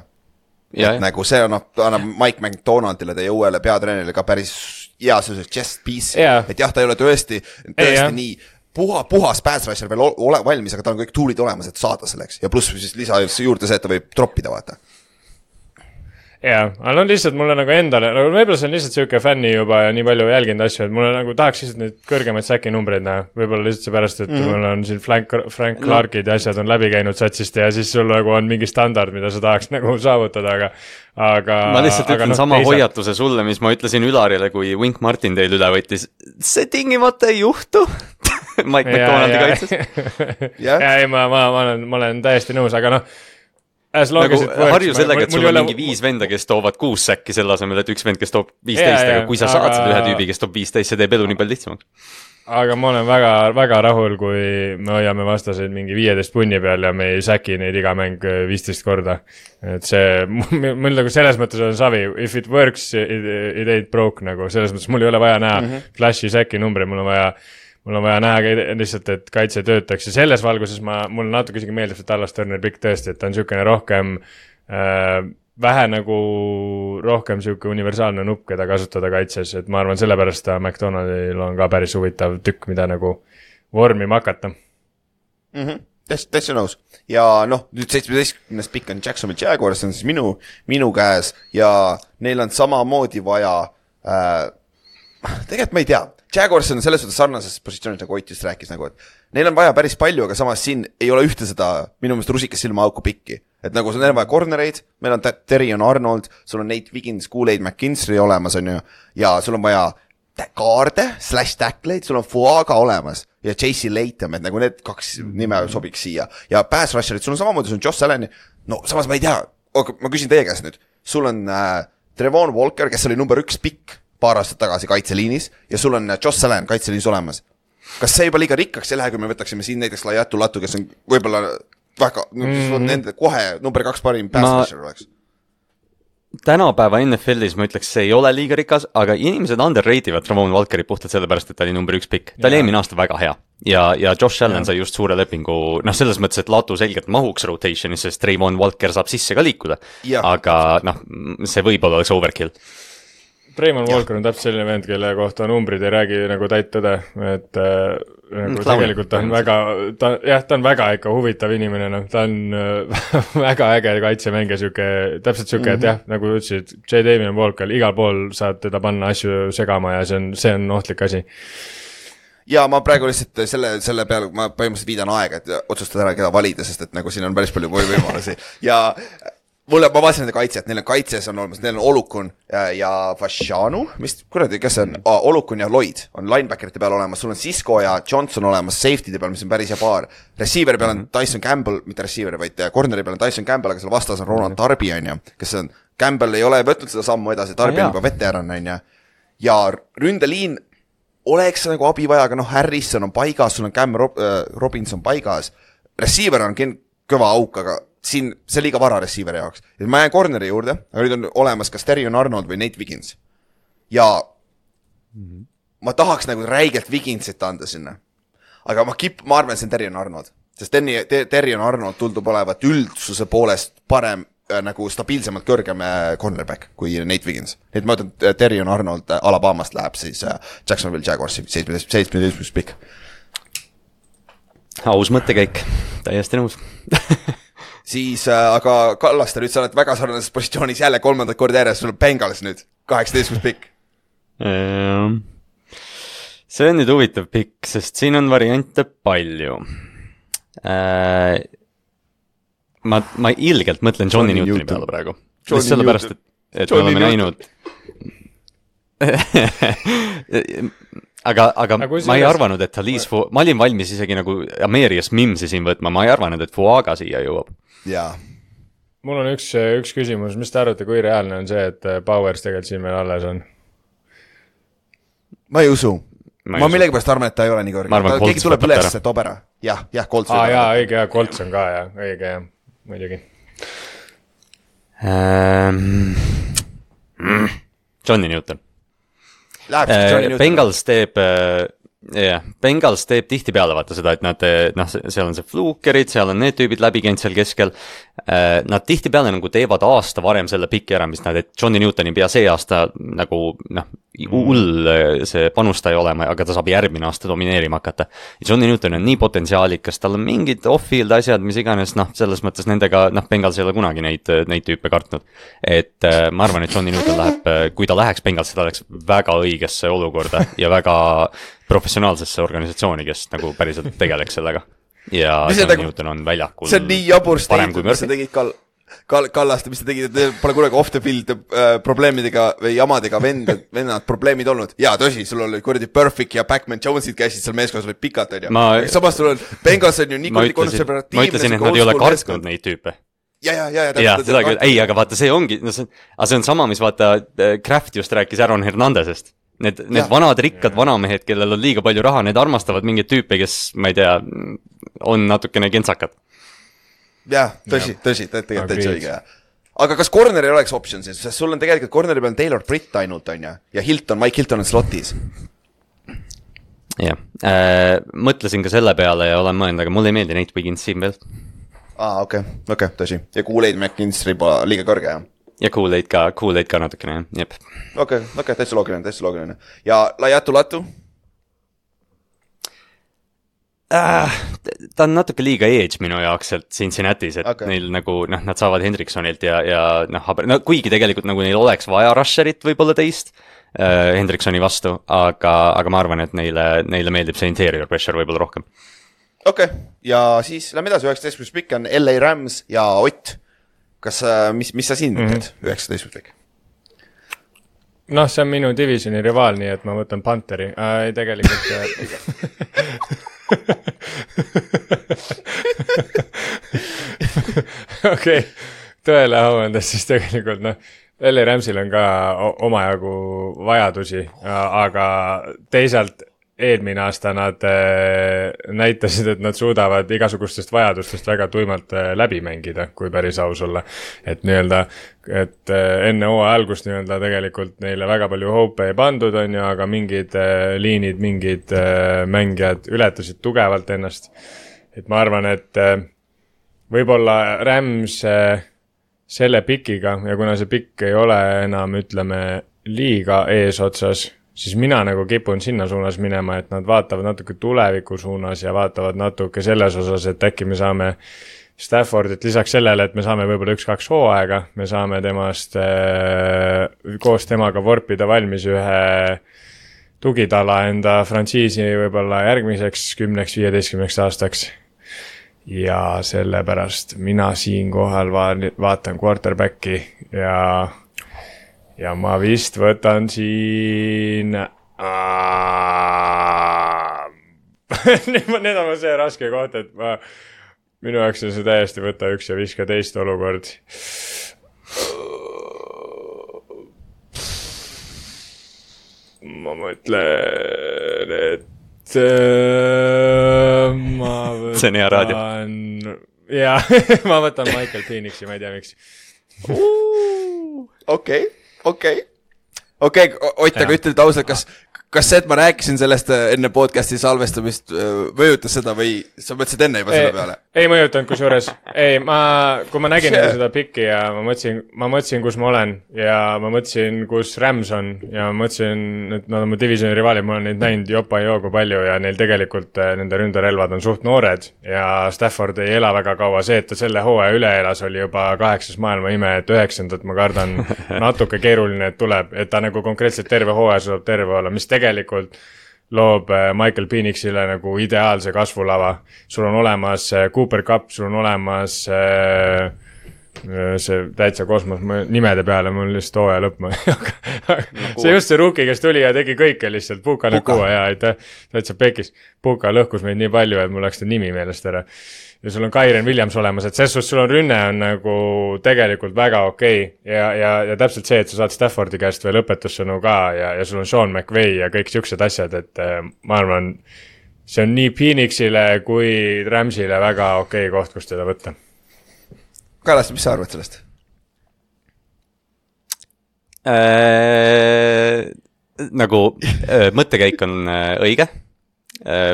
Et nagu see annab Mike McDonaldile teie uuele peatreenerile ka päris hea sellise chest piece, et jah, ta ei ole tõesti nii puhas pass rusher veel valmis, aga ta on kõik tuulid olemas, et saada selleks ja pluss siis lisa juurde see, et ta võib droppida, vaata. Jaa, aga lihtsalt mulle nagu endale, võib-olla see on lihtsalt siuke fänni juba ja nii palju jälginud asju, et mulle nagu tahaks lihtsalt neid kõrgemaid säki numbreid näha. Võib-olla lihtsalt seepärast, et mul on siin Frank Clarkid ja asjad on läbi käinud satsist ja siis sul nagu on mingi standard, mida sa tahaks nagu saavutada, aga ma lihtsalt ütlen sama hoiatuse sulle, mis ma ütlesin Ülarile, kui Wink Martin teil üle võttis. See tingimata ei juhtu. Mike McDonaldi kaitses. Ei, ma olen täiesti nõus, aga nagu harju sellega, et sul on mingi 5 venda, kes toovad 6 säkki selle asemel, et üks vend, kes toob 15, aga kui sa saad seda ühe tüübi, kes toob 15, see teeb elu nii palju lihtsamaks. Aga ma olen väga, väga rahul, kui me hoiame vastaseid mingi 15 punni peal ja me ei säki neid iga mäng 15 korda. Et see, mul nagu selles mõttes on savi, if it works, it ain't broke nagu, selles mõttes mul ei ole vaja näha flashi säki numbri, mul on vaja näha lihtsalt, et kaitse töötaks ja selles valguses mul natuke isegi meeldib see Dallas Turner pikk tõesti, et ta on siukene rohkem vähe nagu rohkem siuke universaalne nupp, keda kasutada kaitses, et ma arvan sellepärast McDonaldil on ka päris huvitav tükk, mida nagu vormima hakata. Täitsa nõus. Ja nüüd 17. pikk on Jacksonville Jaguars, see on siis minu käes ja neil on samamoodi vaja tegelikult ma ei tea. Jaguars on selles suhtes sarnases positsioonid, nagu Ott just rääkis, nagu, et neil on vaja päris palju, aga samas siin ei ole ühte seda minu meelest rusikas silma auku pikki. Et nagu sul on vaja cornereid, meil on Terrion Arnold, sul on Nate Wiggins, Kool-Aid McKinstry olemas, on ju, ja sul on vaja kaarde, /tackleid, sul on Fuaga olemas ja JC Latham, et nagu need 2 nime sobiks siia. Ja pass rusherid, sul on samamoodi, sul on Josh Allen, samas ma ei tea, ma küsin teie käest nüüd, sul on Trevon Walker, kes oli number 1 pikk paar aastat tagasi kaitseliinis ja sul on Josh Allen kaitseliinis olemas. Kas see juba liiga rikkaks ei lähe, kui me võtaksime siin näiteks Laiatu Latu, kes on võib-olla väga, on nende kohe number 2 parim pass-rusher oleks? Tänapäeva NFL-is ma ütleks, see ei ole liiga rikas, aga inimesed underrativad Trevon Walkeri puhtalt sellepärast, et ta oli number 1 pikk. Ta oli eelmine aasta väga hea ja Josh Allen sai just suure lepingu, selles mõttes, et Latu selgelt mahuks rotationis, sest Trevon Walker saab sisse ka liikuda, aga see võib-olla oleks overkill. Trevon Walker on täpselt selline vend, kelle kohta numbrid ei räägi nagu täit tõde, et nagu tegelikult ta on väga, ta on väga ikka huvitav inimene, ta on väga äge kaitsemängija, täpselt siuke, et jah, nagu ütlesid, J. Damien Walker, igal pool saad teda panna asju segama ja see on ohtlik asi. Ja ma praegu lihtsalt selle peale, ma põhimõtteliselt viidan aega, et otsustada ära, keda valida, sest et nagu siin on päris palju võimalusi ja ma vaatasin nende kaitset, neil on kaitses on olemas, neil on Olukun ja Fashanu, mis kuradi, kes on? Olukun ja Lloyd on linebackerite peal olemas, sul on Sisko ja Johnson olemas safety'de peal, mis on päris hea paar. Receiveri peal on Tyson Campbell, mitte receiver, vaid corneri peal on Tyson Campbell, aga seal vastas on Ronan Darby, on ju, kes on Campbell ei ole võtnud seda sammu edasi, Darby on juba veteran, on ju. Ja ründeliin oleks nagu abi vaja, aga Harrison on paigas, sul on Cam Robinson paigas. Receiver on kõva auk, aga siin see liiga vara receiver jaoks. Et ma jään corneri juurde, aga nüüd on olemas kas Terrion Arnold või Nate Wiggins. Ja ma tahaks nagu räigelt Wigginsit anda sinna. Aga ma arvan, see on Terrion Arnold. Sest Terrion Arnold tuldub olevat üldsuse poolest parem, nagu stabiilsemalt kõrgem cornerback kui Nate Wiggins. Nii et ma ütlen, Terrion Arnold Alabamast läheb siis Jacksonville Jaguarsi 17 pikk. Aus mõttekäik, täiesti nõus. Siis, aga Kallaste, nüüd sa oled väga sarnases positsioonis jälle 3. korda järjest, sul on Bengals nüüd, 18 pikk. See on nüüd huvitav pikk, sest siin on variante palju. Ma ilgelt mõtlen Johnny Newtoni peale praegu. Sellepärast, et me oleme näinud aga ma ei arvanud, et ma olin valmis isegi nagu Amerias Mimsi siin võtma, ma ei arvanud, et Fuaga siia jõuab. Jaa. Mul on üks küsimus, mis te arvate, kui reaalne on see, et Powers tegelikult siin meil alles on? Ma ei usu. Ma millegipärast arvan, et ta ei ole nii kõrge. Keegi tuleb üles, et toob ära. Jah, Colts. Õige, Colts on ka, õige, muidugi. Johnny Newton. Bengals teeb tihti peale vaata seda, et nad, seal on see flukerid, seal on need tüübid läbi käinud seal keskel. Nad tihti peale nagu teevad aasta varem selle piki ära, mis nad, et Johnny Newtoni pea see aasta nagu, hull see panustaja olema, aga ta saab järgmine aasta domineerima hakata. Johnny Newton on nii potentsiaalikas, tal on mingid off-field asjad, mis iganes, selles mõttes nendega, Bengals ei ole kunagi neid tüüpe kartnud. Et ma arvan, et Johnny Newton läheb, kui ta läheks Bengals, ta läheks väga õigesse olukorda ja väga professionaalsesse organisatsiooni, kes nagu päriselt tegeleks sellega. Ja Johnny Newton on väljakul see on nii jabur statement, mis sa tegid Kallaste, mis te tegid, et pole kunagi off the field probleemidega või jamadega vennad probleemid olnud. Jaa, tõsi, sul oli kuradi Perfect ja Pac-Man Jonesid käisid seal meeskonnas olid pikalt, on ju. Samas sul on, Bengals on ju nii kuradi konservatiivne. Ma ütlesin, et nad ei ole kartnud neid tüüpe. Ja, ei, aga vaata, see ongi, see on sama, mis vaata, Kraft just rääkis Aaron Hernandezest. Need vanad rikkad vanamehed, kellel on liiga palju raha, need armastavad mingeid tüüpe, kes, ma ei tea, on natukene kentsakad. Jah, tõsi, tegelikult täitsa õige. Aga kas corner ei oleks option siis? Sest sul on tegelikult corneri peal Taylor Britt ainult, on ja Mike Hilton on slotis. Jah, mõtlesin ka selle peale ja olen mõelnud, aga mulle ei meeldi Nate Wiggins siin veel. Okei, tõsi. Ja Kool-Aid McKinstry pole liiga kõrge, jah? Ja Kool-Aid ka natukene, jep. Okei, täitsa loogiline. Ja Laiatu-Latu? Ta on natuke liiga edge minu jaoks sealt Cincinnatis, et neil nagu, nad saavad Hendriksonilt ja kuigi tegelikult nagu neil oleks vaja rusherit võib-olla teist Hendriksoni vastu, aga ma arvan, et neile meeldib see interior pressure võib-olla rohkem. Okei, ja siis lähme edasi, 19 pikk on LA Rams ja Ott. Kas, mis sa siin mõtled, 19 pikk? See on minu divisioni rivaal, nii et ma võtan Pantheri. Ei, tegelikult... Okei, tõele avaldades siis tegelikult, LA Ramsil on ka omajagu vajadusi, aga teisalt eelmine aasta nad näitasid, et nad suudavad igasugustest vajadustest väga tuimalt läbi mängida, kui päris aus olla. Et enne hooaja algust tegelikult neile väga palju hope ei pandud, on ju, aga mingid liinid, mingid mängijad ületasid tugevalt ennast. Et ma arvan, et võib-olla Rams selle pikiga, ja kuna see pikk ei ole enam, ütleme, liiga eesotsas, siis mina nagu kipun sinna suunas minema, et nad vaatavad natuke tuleviku suunas ja vaatavad natuke selles osas, et äkki me saame Staffordit lisaks sellele, et me saame võib-olla 1-2 hooaega, me saame temast koos temaga vorpida valmis ühe tugitala enda frantsiisi võib-olla järgmiseks 10-15 aastaks. Ja sellepärast mina siin kohal vaatan quarterbacki ja ma vist võtan siin... Need on see raske koht, et minu jaoks on see täiesti võtta 1 ja viska teist olukord. ma mõtlen, et ma võtan... See on hea raadio. Jaa, ma võtan Michael Phoenixi, ma ei tea miks. Okei, Ott, aga ütled ausalt, kas see, et ma rääkisin sellest enne podcasti salvestamist, mõjutas seda või sa mõtlesid enne juba selle peale? Ei mõjutanud kusjuures. Ei, kui ma nägin seda pikki ja ma mõtlesin, kus ma olen ja ma mõtlesin, kus Rams on ja ma mõtlesin, et nad on mu divisioni rivaalid, ma olen neid näinud jopa ei joogu palju ja neil tegelikult nende ründerelvad on suht noored ja Stafford ei ela väga kaua. See, et ta selle hooaja üle elas, oli juba 8. maailma ime, et 9. ma kardan natuke keeruline, et tuleb, et ta nagu konkreetselt terve hooaja suudab terve olla, mis tegelikult loob Michael Phoenixile nagu ideaalse kasvulava. Sul on olemas Cooper Cup, sul on olemas see täitsa kosmos nimede peale, mul lihtsalt hooaja lõpp. See just see rookie, kes tuli ja tegi kõike lihtsalt. Puka lõhkuva ja täitsa pekis. Puka lõhkus meid nii palju, et mul läks ta nimi meelest ära. Ja sul on Kyren Williams olemas, et selles suhtes sul on rünne on nagu tegelikult väga okei. Ja täpselt see, et sa saad Staffordi käest veel õpetussõnu ka ja sul on Sean McVay ja kõik siuksed asjad, et ma arvan, see on nii Phoenixile kui Ramsile väga okei koht, kus teda võtta. Kallas, mis sa arvad sellest? Nagu mõttekäik on õige.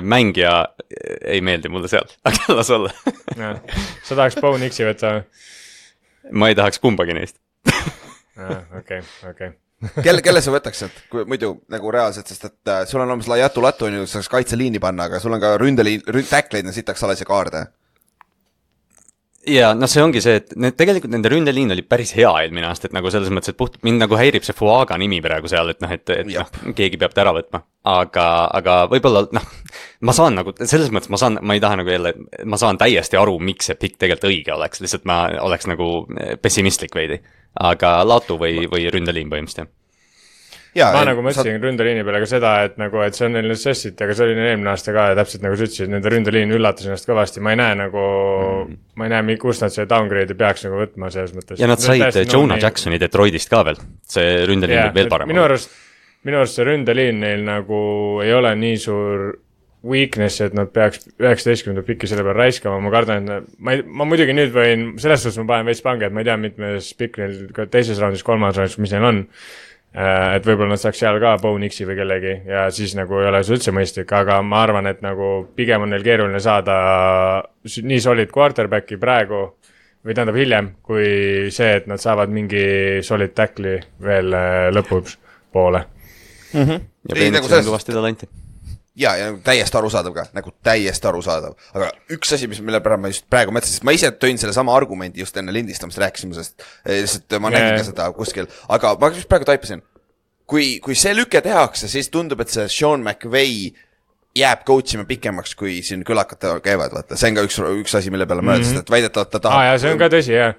Mängija ei meeldi mulle seal, aga las olla. Sa tahaks Bo Nixi võtta? Ma ei tahaks kumbagi neist. Okei. Kelle sa võtaks sealt, kui muidu nagu reaalselt, sest et sul on olemas Laiatu Latu, on ju, saaks kaitseliini panna, aga sul on ka tackleid, sitaks alas ja kaarde. Ja see ongi see, et tegelikult nende ründeliin oli päris hea eelmine aasta, et nagu selles mõttes, et mind nagu häirib see Fuaga nimi praegu seal, et keegi peab ta ära võtma. Aga võib-olla, ma saan nagu, selles mõttes ma ei taha nagu jälle, ma saan täiesti aru, miks see pikk tegelikult õige oleks, lihtsalt ma oleks nagu pessimistlik veidi. Aga Latu või ründeliin põhimõtteliselt. Ma nagu mõtlesin ründeliini peale ka seda, et see on neil necessity, aga see oli eelmine aasta ka ja täpselt nagu sa ütlesid, nende ründeliin üllatas ennast kõvasti. Ma ei näe, kus nad see downgrade'i peaks nagu võtma selles mõttes. Ja nad said Jonah Jacksoni Detroitist ka veel. See ründeliin võib veel parem. Minu arust see ründeliin neil nagu ei ole nii suur weakness, et nad peaks 19. pikki selle peale raiskama. Ma kardan, et ma muidugi nüüd võin, selles suhtes ma panen veits pange, et ma ei tea, mitmes pikk neil ka teises raundis, kolmas raundis, mis neil on. Et võib-olla nad saaks seal ka Bo Nixi või kellegi ja siis nagu ei ole see üldse mõistlik, aga ma arvan, et nagu pigem on neil keeruline saada nii solid quarterbacki praegu või tähendab hiljem, kui see, et nad saavad mingi solid tackli veel lõpuks poole. Ja Phoenix on kõvasti talanti. Ja täiesti arusaadav ka, nagu täiesti arusaadav. Aga üks asi, mille pärast ma just praegu mõtlesin, sest ma ise tõin selle sama argumendi just enne lindistamist rääkisime, sest ma nägin ka seda kuskil. Aga ma just praegu taipasin, kui see lüke tehakse, siis tundub, et see Sean McVay jääb coachima pikemaks, kui siin külakad käivad. Vaata. See on ka üks asi, mille peale mõeldes, et väidetavalt ta tahab... ja see on ka tõsi, jah.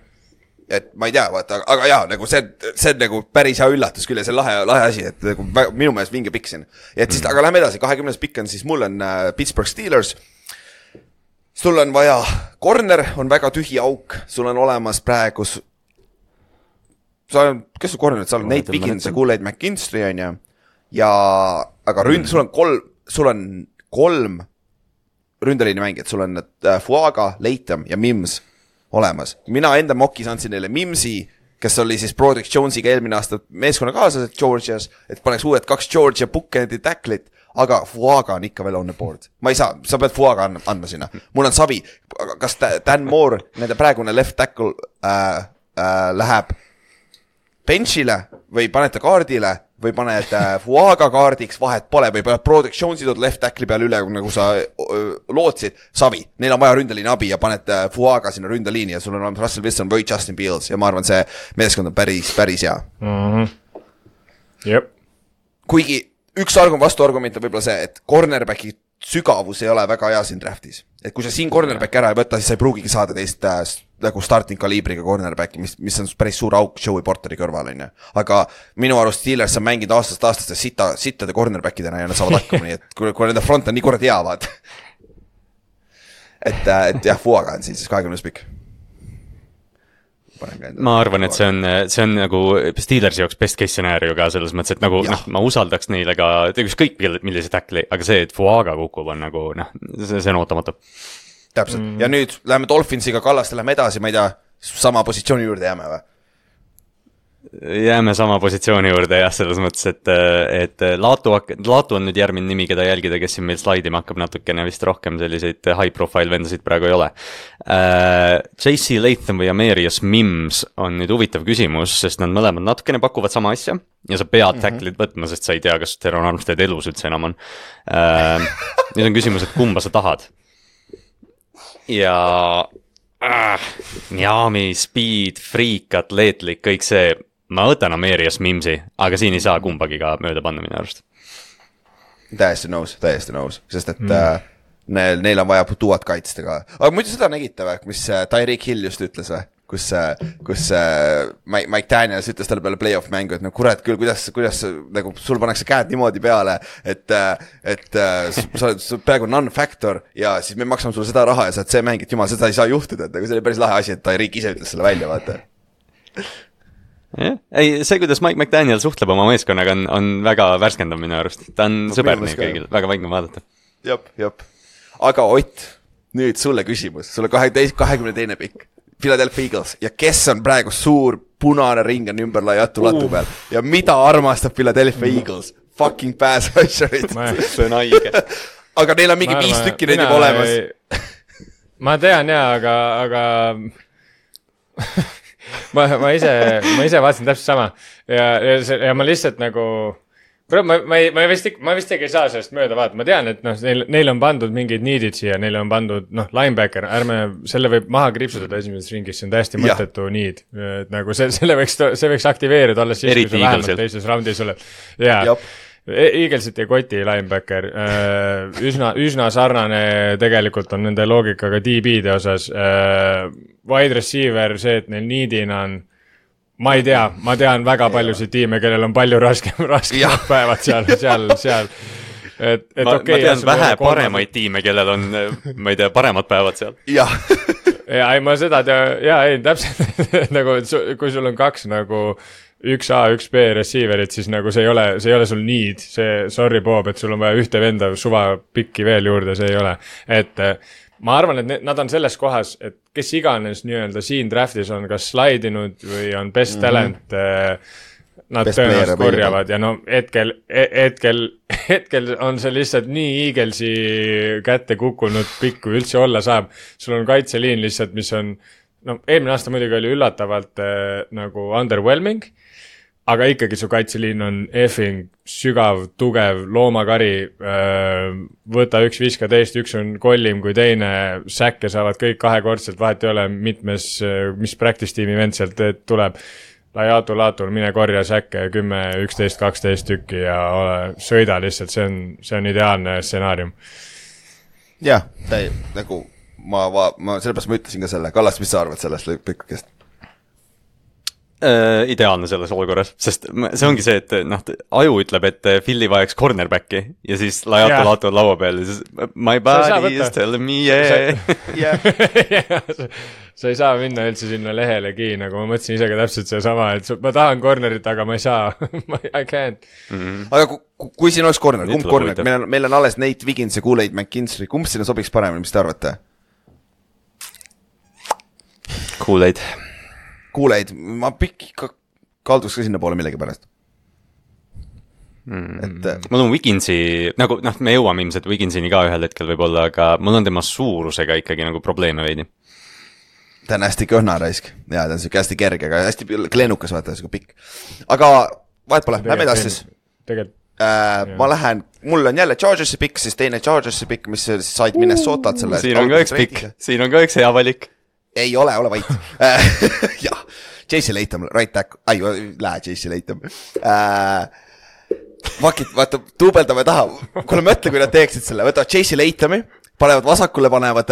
Et ma ei tea, vaata, aga jaa, nagu see on nagu päris hea üllatus küll ja see on lahe asi, et nagu minu meelest vinge pikk siin. Ja et siis, aga lähme edasi, 20. pikk on siis, mul on Pittsburgh Steelers. Sul on vaja, corner on väga tühi auk, sul on olemas praegu, kes su cornerid, sa oled Nate Wiggins ja Kool-Aid McKinstry on ja aga sul on kolm ründeliini mängijad, sul on Fuaga, Latham ja Mims olemas. Mina enda mokis andsin neile Mimsi, kes oli siis Broderick Jonesiga eelmine aasta meeskonna kaaslased Georgias, et paneks uued 2 Georgia Bookend'i tacklit, aga Fuaga on ikka veel on the board. Ma ei saa, sa pead Fuaga andma sinna. Mul on savi, kas Dan Moore, nende praegune left tackle läheb benchile või panete kaardile või paned Fuaga kaardiks, vahet pole, või paned Broderick Jonesi tood left tackli peale üle, nagu sa lootsid, savi. Neil on vaja ründeliini abi ja paned Fuaga sinna ründeliini ja sul on Russell Wilson või Justin Fields ja ma arvan, see meeskond on päris hea. Jep. Kuigi üks vastuargument on võib-olla see, et cornerbacki sügavus ei ole väga hea siin draftis. Et kui sa siin cornerbacki ära ei võtta, siis sa ei pruugigi saada teist nagu starting kaliibriga cornerbacki, mis on päris suur auk Joey Porteri kõrval, on. Aga minu arust Steelers on mänginud aastast sittade cornerbackidena ja nad saavad hakkama, nii et kui nende front on nii kuradi hea, vaat. Et jah, Fuaga on siis 20. pikk. ma arvan, et see on nagu Steelersi jaoks best case scenario ka selles mõttes, et nagu ma usaldaks neile ka, ükskõik millise tackli, aga see, et Fuaga kukub on nagu see on ootamatu. Täpselt, ja nüüd läheme Dolphinsiga Kallaste, läheme edasi, ma ei tea, sama positsiooni juurde jääme või? Jääme sama positsiooni juurde jah, selles mõttes, et Laatu on nüüd järgmine nimi, keda jälgida, kes siin meil slaidima hakkab natukene vist rohkem selliseid high profile vendasid praegu ei ole. JC Latham või Amarius Mims on nüüd huvitav küsimus, sest nad mõlemad natukene pakuvad sama asja ja sa pead tacklid võtma, sest sa ei tea, kas Teron Armstead elus üldse enam on. Nüüd on küsimus, et kumba sa tahad. Ja Miami, speed, freak, atleetlik, kõik see. Ma võtan Amarius Mimsi, aga siin ei saa kumbagi ka mööda panna minu arust. Täiesti nõus, sest et neil on vaja tuuad kaitsta ka. Aga muidu seda nägite või, mis Tyreek Hill just ütles või? Kus Mike Daniels ütles talle peale playoff mängu, et no kurat küll, kuidas nagu sul pannakse käed niimoodi peale, et sa oled praegu non-factor ja siis me maksame sulle seda raha ja sa oled see mäng, et jumal, seda ei saa juhtuda, et nagu see oli päris lahe asi, et Tyreek ise ütles selle välja, vaata. Ei, see, kuidas Mike McDaniel suhtleb oma meeskonnaga on väga värskendav minu arust. Ta on sõber nii kõigil, väga vaigna vaadata. Jop. Aga Ott, nüüd sulle küsimus. Sulle 22. pikk. Philadelphia Eagles. Ja kes on praegu suur punane ring on ümber laiatu latu peal? Ja mida armastab Philadelphia Eagles? Fucking pass rusherid. See on haige. Aga neil on mingi 5 tükki neid juba olemas. Ma tean jaa, aga ma ise vaatasin täpselt sama ja ma lihtsalt nagu ma vist ei saa sellest mööda vaata, ma tean, et neil on pandud mingid needid siia, neil on pandud linebacker, ärme selle võib maha kriipsutada esimeses ringis, see on täiesti mõttetu need, et nagu see võiks aktiveerida alles siis, kui sa vähemalt teises raundis oled Eaglesit ja Koti linebacker üsna sarnane tegelikult on nende loogikaga DB-de osas wide receiver, see, et neil needina on ma ei tea, ma tean väga paljusid tiime, kellel on palju raskemad päevad seal ma tean vähe paremaid tiime, kellel on ma ei tea, paremad päevad seal ja ei, ma seda ei, täpselt nagu, kui sul on 2 nagu 1A, 1B receiverit, siis nagu see ei ole sul need, sorry Bob, et sul on vaja ühte venda suva pikki veel juurde, see ei ole. Et ma arvan, et nad on selles kohas, et kes iganes nii-öelda siin draftis on kas slaidinud või on best talent, nad tõenäoliselt korjavad ja no hetkel on see lihtsalt nii Eaglesi kätte kukkunud pikk, kui üldse olla saab. Sul on kaitseliin lihtsalt, mis on, eelmine aasta muidugi oli üllatavalt nagu underwhelming, aga ikkagi su kaitseliin on effing sügav, tugev, loomakari, võta üks viska teist, üks on kollim kui teine, säkke saavad kõik kahekordselt, vahet ei ole mitmes, mis practice tiimi vend sealt tuleb. Laatul, mine korja säkke 10, 11, 12 tükki ja sõida lihtsalt, see on ideaalne stsenaarium. Jah, nagu ma sellepärast ma ütlesin ka selle, Kallas, mis sa arvad sellest lõikukest? Ideaalne selles olukorras, sest see ongi see, et aju ütleb, et Philly vajaks cornerbacki ja siis Laatul laua peal ja siis my body is telling me sa ei saa minna üldse sinna lehelegi, nagu ma mõtlesin ise ka täpselt see sama, et ma tahan cornerit, aga ma ei saa I can't. Aga kui siin oleks corner, kumb corner, meil on alles Nate Wiggins ja Kool-Aid McKinstry, kumb sinna sobiks paremini, mis te arvate? Kool-Aid, ma kalduks ka sinna poole millegi pärast. Ma tulen Wigginsi, nagu me jõuame ilmselt Wigginsini ka ühel hetkel võib-olla, aga mul on tema suurusega ikkagi nagu probleeme veidi. Ta on hästi kõhna raisk ja ta on siuke hästi kerge, aga hästi kleenukas, vaata, siuke pikk. Aga vahet pole, lähme edasi siis. Ma lähen, mul on jälle Chargersi pikk, siis teine Chargersi pikk, mis said Minnesotalt selle. Siin on ka üks pikk, siin on ka üks hea valik. Ei ole vait. Jah, JC Latham, right back. Lähe JC Latham. Vaata, tuubeldame taha. Kuule mõtle, kui nad teeksid selle. Võtavad JC Lathami, panevad vasakule, panevad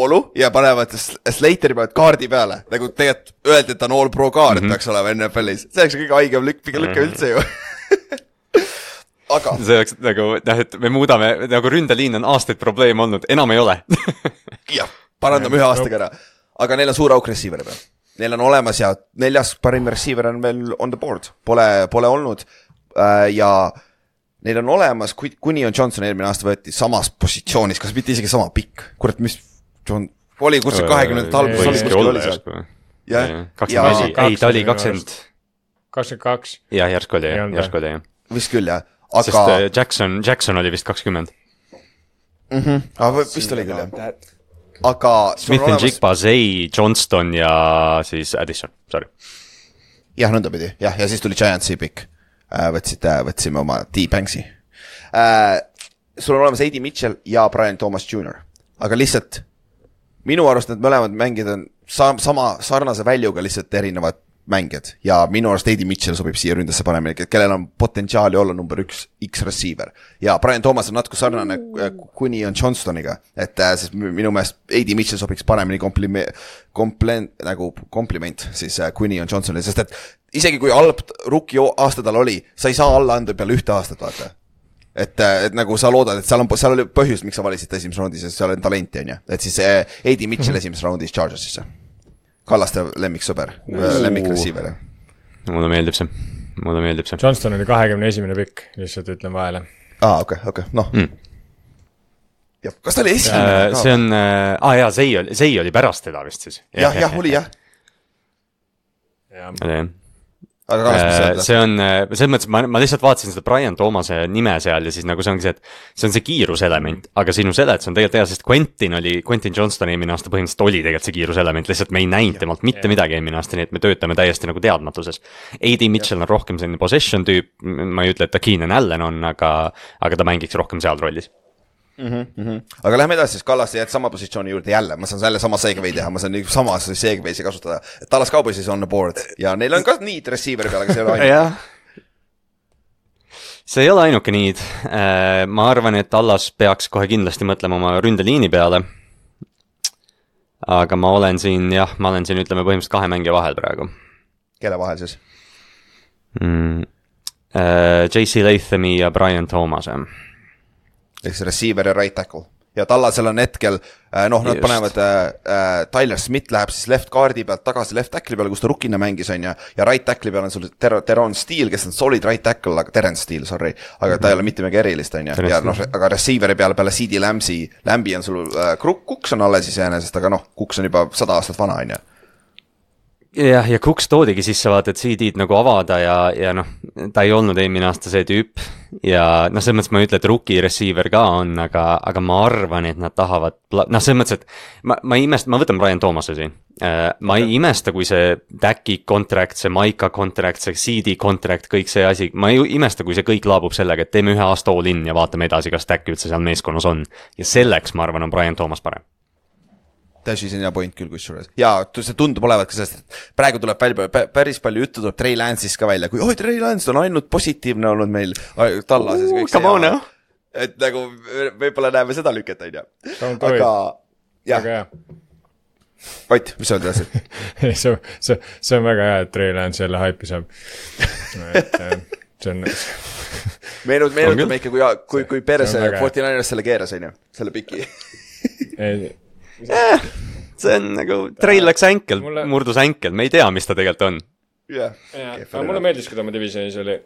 Olu ja panevad Slateri panevad kaardi peale. Nagu tegelikult öeldi, et ta on all pro kaard, et peaks olema NFL-is. See oleks kõige haigem lükke üldse ju. Aga see oleks nagu, et me muudame, nagu ründeliin on aastaid probleem olnud, enam ei ole. Jah, parandame 1 aastaga ära. Aga neil on suur auk receiver peal. neil on olemas ja 4. parim receiver on veel on the board, pole olnud ja neil on olemas, kuni on Johnson eelmine aasta võeti samas positsioonis, kas mitte isegi sama pikk, kurat, mis oli kuskil 20 alguses oli kuskil oli seal. Jah, 25, ei ta oli 22. Jah, järsku oli, jah. Vist küll, jah. Sest Jackson oli vist 20. Vist oli küll, jah. Aga Smith and Jigba, Zay, Johnston ja siis Addison, sorry. Jah, nõndapidi, jah, ja siis tuli Giantsi pikk. Võtsime oma T-Banksi. Sul on olemas A.D. Mitchell ja Brian Thomas Jr. Aga lihtsalt minu arust need mõlemad mängid on sama sarnase väljuga lihtsalt erinevad mängijad ja minu arust A.D. Mitchell sobib siia ründasse paremini, kellel on potentsiaali olla number 1 X-receiver ja Brian Thomas on natuke sarnane kuni on Johnstoniga, et sest minu meelest A.D. Mitchell sobiks paremini kompliment siis kuni on Johnstonile, sest et isegi kui halb rookie aasta tal oli, sa ei saa alla anda peale 1 aastat, vaata. Et nagu sa loodad, et seal oli põhjus, miks sa valisid esimeses raundis ja seal on talenti, on ju. Et siis A.D. Mitchell esimeses raundis Chargersisse. Kallaste lemmiksõber, lemmikreceiver. Mulle meeldib see. Johnston oli 21. pikk, lihtsalt ütlen vahele. Okei, noh. Ja, kas ta oli esimene? See on, Zay oli pärast teda vist siis. Jah, oli jah. See on, selles mõttes, ma lihtsalt vaatasin seda Brian Thomase nime seal ja siis nagu see ongi see, et see on see kiiruselement, aga sinu seletus on tegelikult hea, sest Quentin Johnston eelmine aasta põhimõtteliselt oli tegelikult see kiiruselement, lihtsalt me ei näinud temalt mitte midagi eelmine aasta, nii et me töötame täiesti nagu teadmatuses. A.D. Mitchell on rohkem selline possession tüüp, ma ei ütle, et ta Keenan Allen on, aga ta mängiks rohkem seal rollis. Aga lähme edasi, siis Kallaste jääd sama positsiooni juurde jälle, ma saan selle sama segway teha, ma saan sama segway'si kasutada, et Dallas Cowboysis on the board ja neil on ka need receiveri peale, aga see ei ole ainuke. See ei ole ainuke need, ma arvan, et Dallas peaks kohe kindlasti mõtlema oma ründeliini peale, aga ma olen siin ütleme põhimõtteliselt 2 mängija vahel praegu. Kelle vahel siis? J.C. Lathami ja Brian Thomas. Eks receiver ja right tackle. Ja Tallasel on hetkel, nad panevad, Tyler Smith läheb siis left guardi pealt tagasi left tackle'i peale, kus ta rukkina mängis on ja right tackle'i peal on sul Teron Steele, kes on solid right tackle, aga Terence Steele, sorry, aga ta ei ole mitte midagi erilist on ja aga receiveri peale CD Lambi on sul, Cooks on alles iseenesest, aga Cooks on juba 100 aastat vana on ja. Ja Cooks toodigi sisse vaata, et CD-d nagu avada ja ta ei olnud eelmine aasta see tüüp ja selles mõttes ma ei ütle, et rookie receiver ka on, aga ma arvan, et nad tahavad, selles mõttes, et ma võtan Brian Thomase siin. Ma ei imesta, kui see Dacki contract, see Maika contract, see CD contract, kõik see asi, ma ei imesta, kui see kõik laabub sellega, et teeme 1 aasta all in ja vaatame edasi, kas Dacki üldse seal meeskonnas on. Ja selleks, ma arvan, on Brian Thomas parem. Täiesti sinna point küll kusjuures. Ja see tundub olevat ka sellest, et praegu tuleb päris palju juttu tuleb Trey Lance'is ka välja, kui Trey Lance on ainult positiivne olnud meil Tallases. Come on, jah. Et nagu võibolla näeme seda lüket, on ju. Aga, jah. Ott, mis sa oled edasi? See on väga hea, et Trey Lance jälle haipi saab. See on... Meenutame ikka, kui Peres 49ers selle keeras, on ju, selle piki. See on nagu, Trail läks änkel, murdus änkel, me ei tea, mis ta tegelikult on. Aga mulle meeldis, kui ta oma divisionis oli,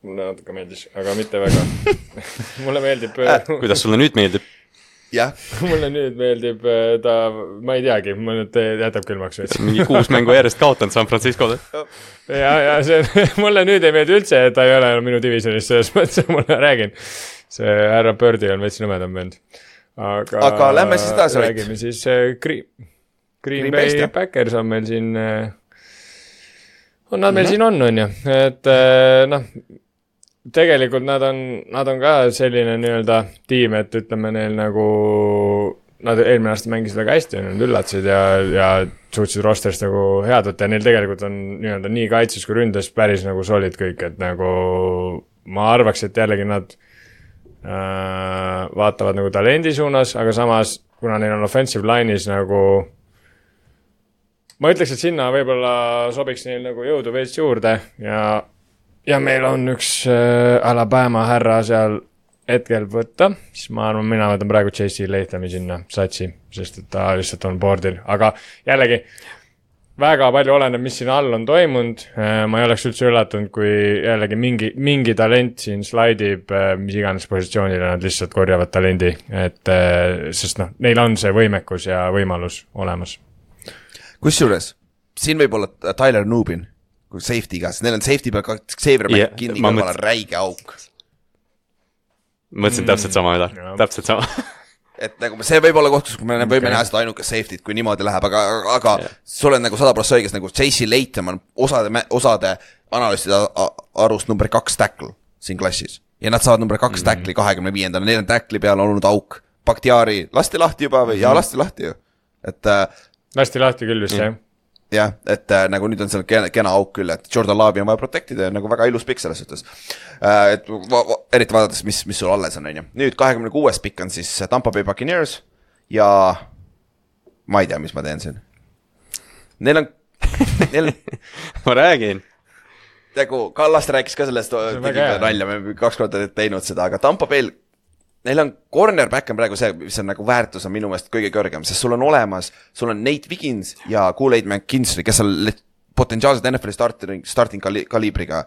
mulle natuke meeldis, aga mitte väga. Mulle meeldib... Kuidas sulle nüüd meeldib? Jah. Mulle nüüd meeldib ta, ma ei teagi, ma nüüd jätab külmaks. Mingi 6 mängu järjest kaotanud San Franciscole. Ja mulle nüüd ei meeldi üldse, et ta ei ole minu divisionis, selles mõttes ma räägin. See härra Birdi on veits nõmedam vend. Aga lähme siis edasi. Räägime siis Green Bay Packers on meil siin nad meil siin on ju, et tegelikult nad on ka selline nii-öelda tiim, et ütleme neil nagu nad eelmine aasta mängisid väga hästi, nad üllatasid ja suutsid rosterist nagu head võtta ja neil tegelikult on nii-öelda nii kaitses kui ründes päris nagu solid kõik, et nagu ma arvaks, et jällegi nad vaatavad nagu talendi suunas, aga samas, kuna neil on offensive line'is nagu ma ütleks, et sinna võib-olla sobiks neil nagu jõudu veits juurde ja meil on üks Alabama härra seal hetkel võtta, siis ma arvan, mina võtan praegu J.C. Lathami sinna satsi, sest et ta lihtsalt on boardil, aga jällegi väga palju oleneb, mis siin all on toimunud, ma ei oleks üldse üllatunud, kui jällegi mingi talent siin slaidib, mis iganes positsioonile nad lihtsalt korjavad talendi, et sest noh, neil on see võimekus ja võimalus olemas. Kusjuures, siin võib olla Tyler Nubin, kui safety'ga, sest neil on safety peal Xavier McKinney kõrval räige auk. Mõtlesin täpselt sama, täpselt sama. Et nagu see võib olla koht, kus me võime näha seda ainuke safety't, kui niimoodi läheb, aga sul on nagu 100% õiges, nagu J.C. Latham on osade analüüside arust number 2 tackle siin klassis. Ja nad saavad number 2 tackle'i 25. Neil on tackle'i peal olnud auk. Bakhtiari lasti lahti juba või? Jaa, lasti lahti ju. Et lasti lahti küll vist, jah. Jah, et nagu nüüd on seal kena auk küll, et Jordan Love'i on vaja protectida ja nagu väga ilus pikk selles suhtes. Et eriti vaadates, mis sul alles on. Nüüd 26. pikk on siis Tampa Bay Buccaneers ja ma ei tea, mis ma teen siin. Neil on ma räägin. Nagu Kallast rääkis ka sellest, nalja, me 2 korda teinud seda, aga Tampa Bay neil on cornerback on praegu see, mis on nagu väärtus on minu meelest kõige kõrgem, sest sul on olemas, sul on Nate Wiggins ja Kool-Aid McKinstry, kes on potentsiaalselt NFL starting kaliibriga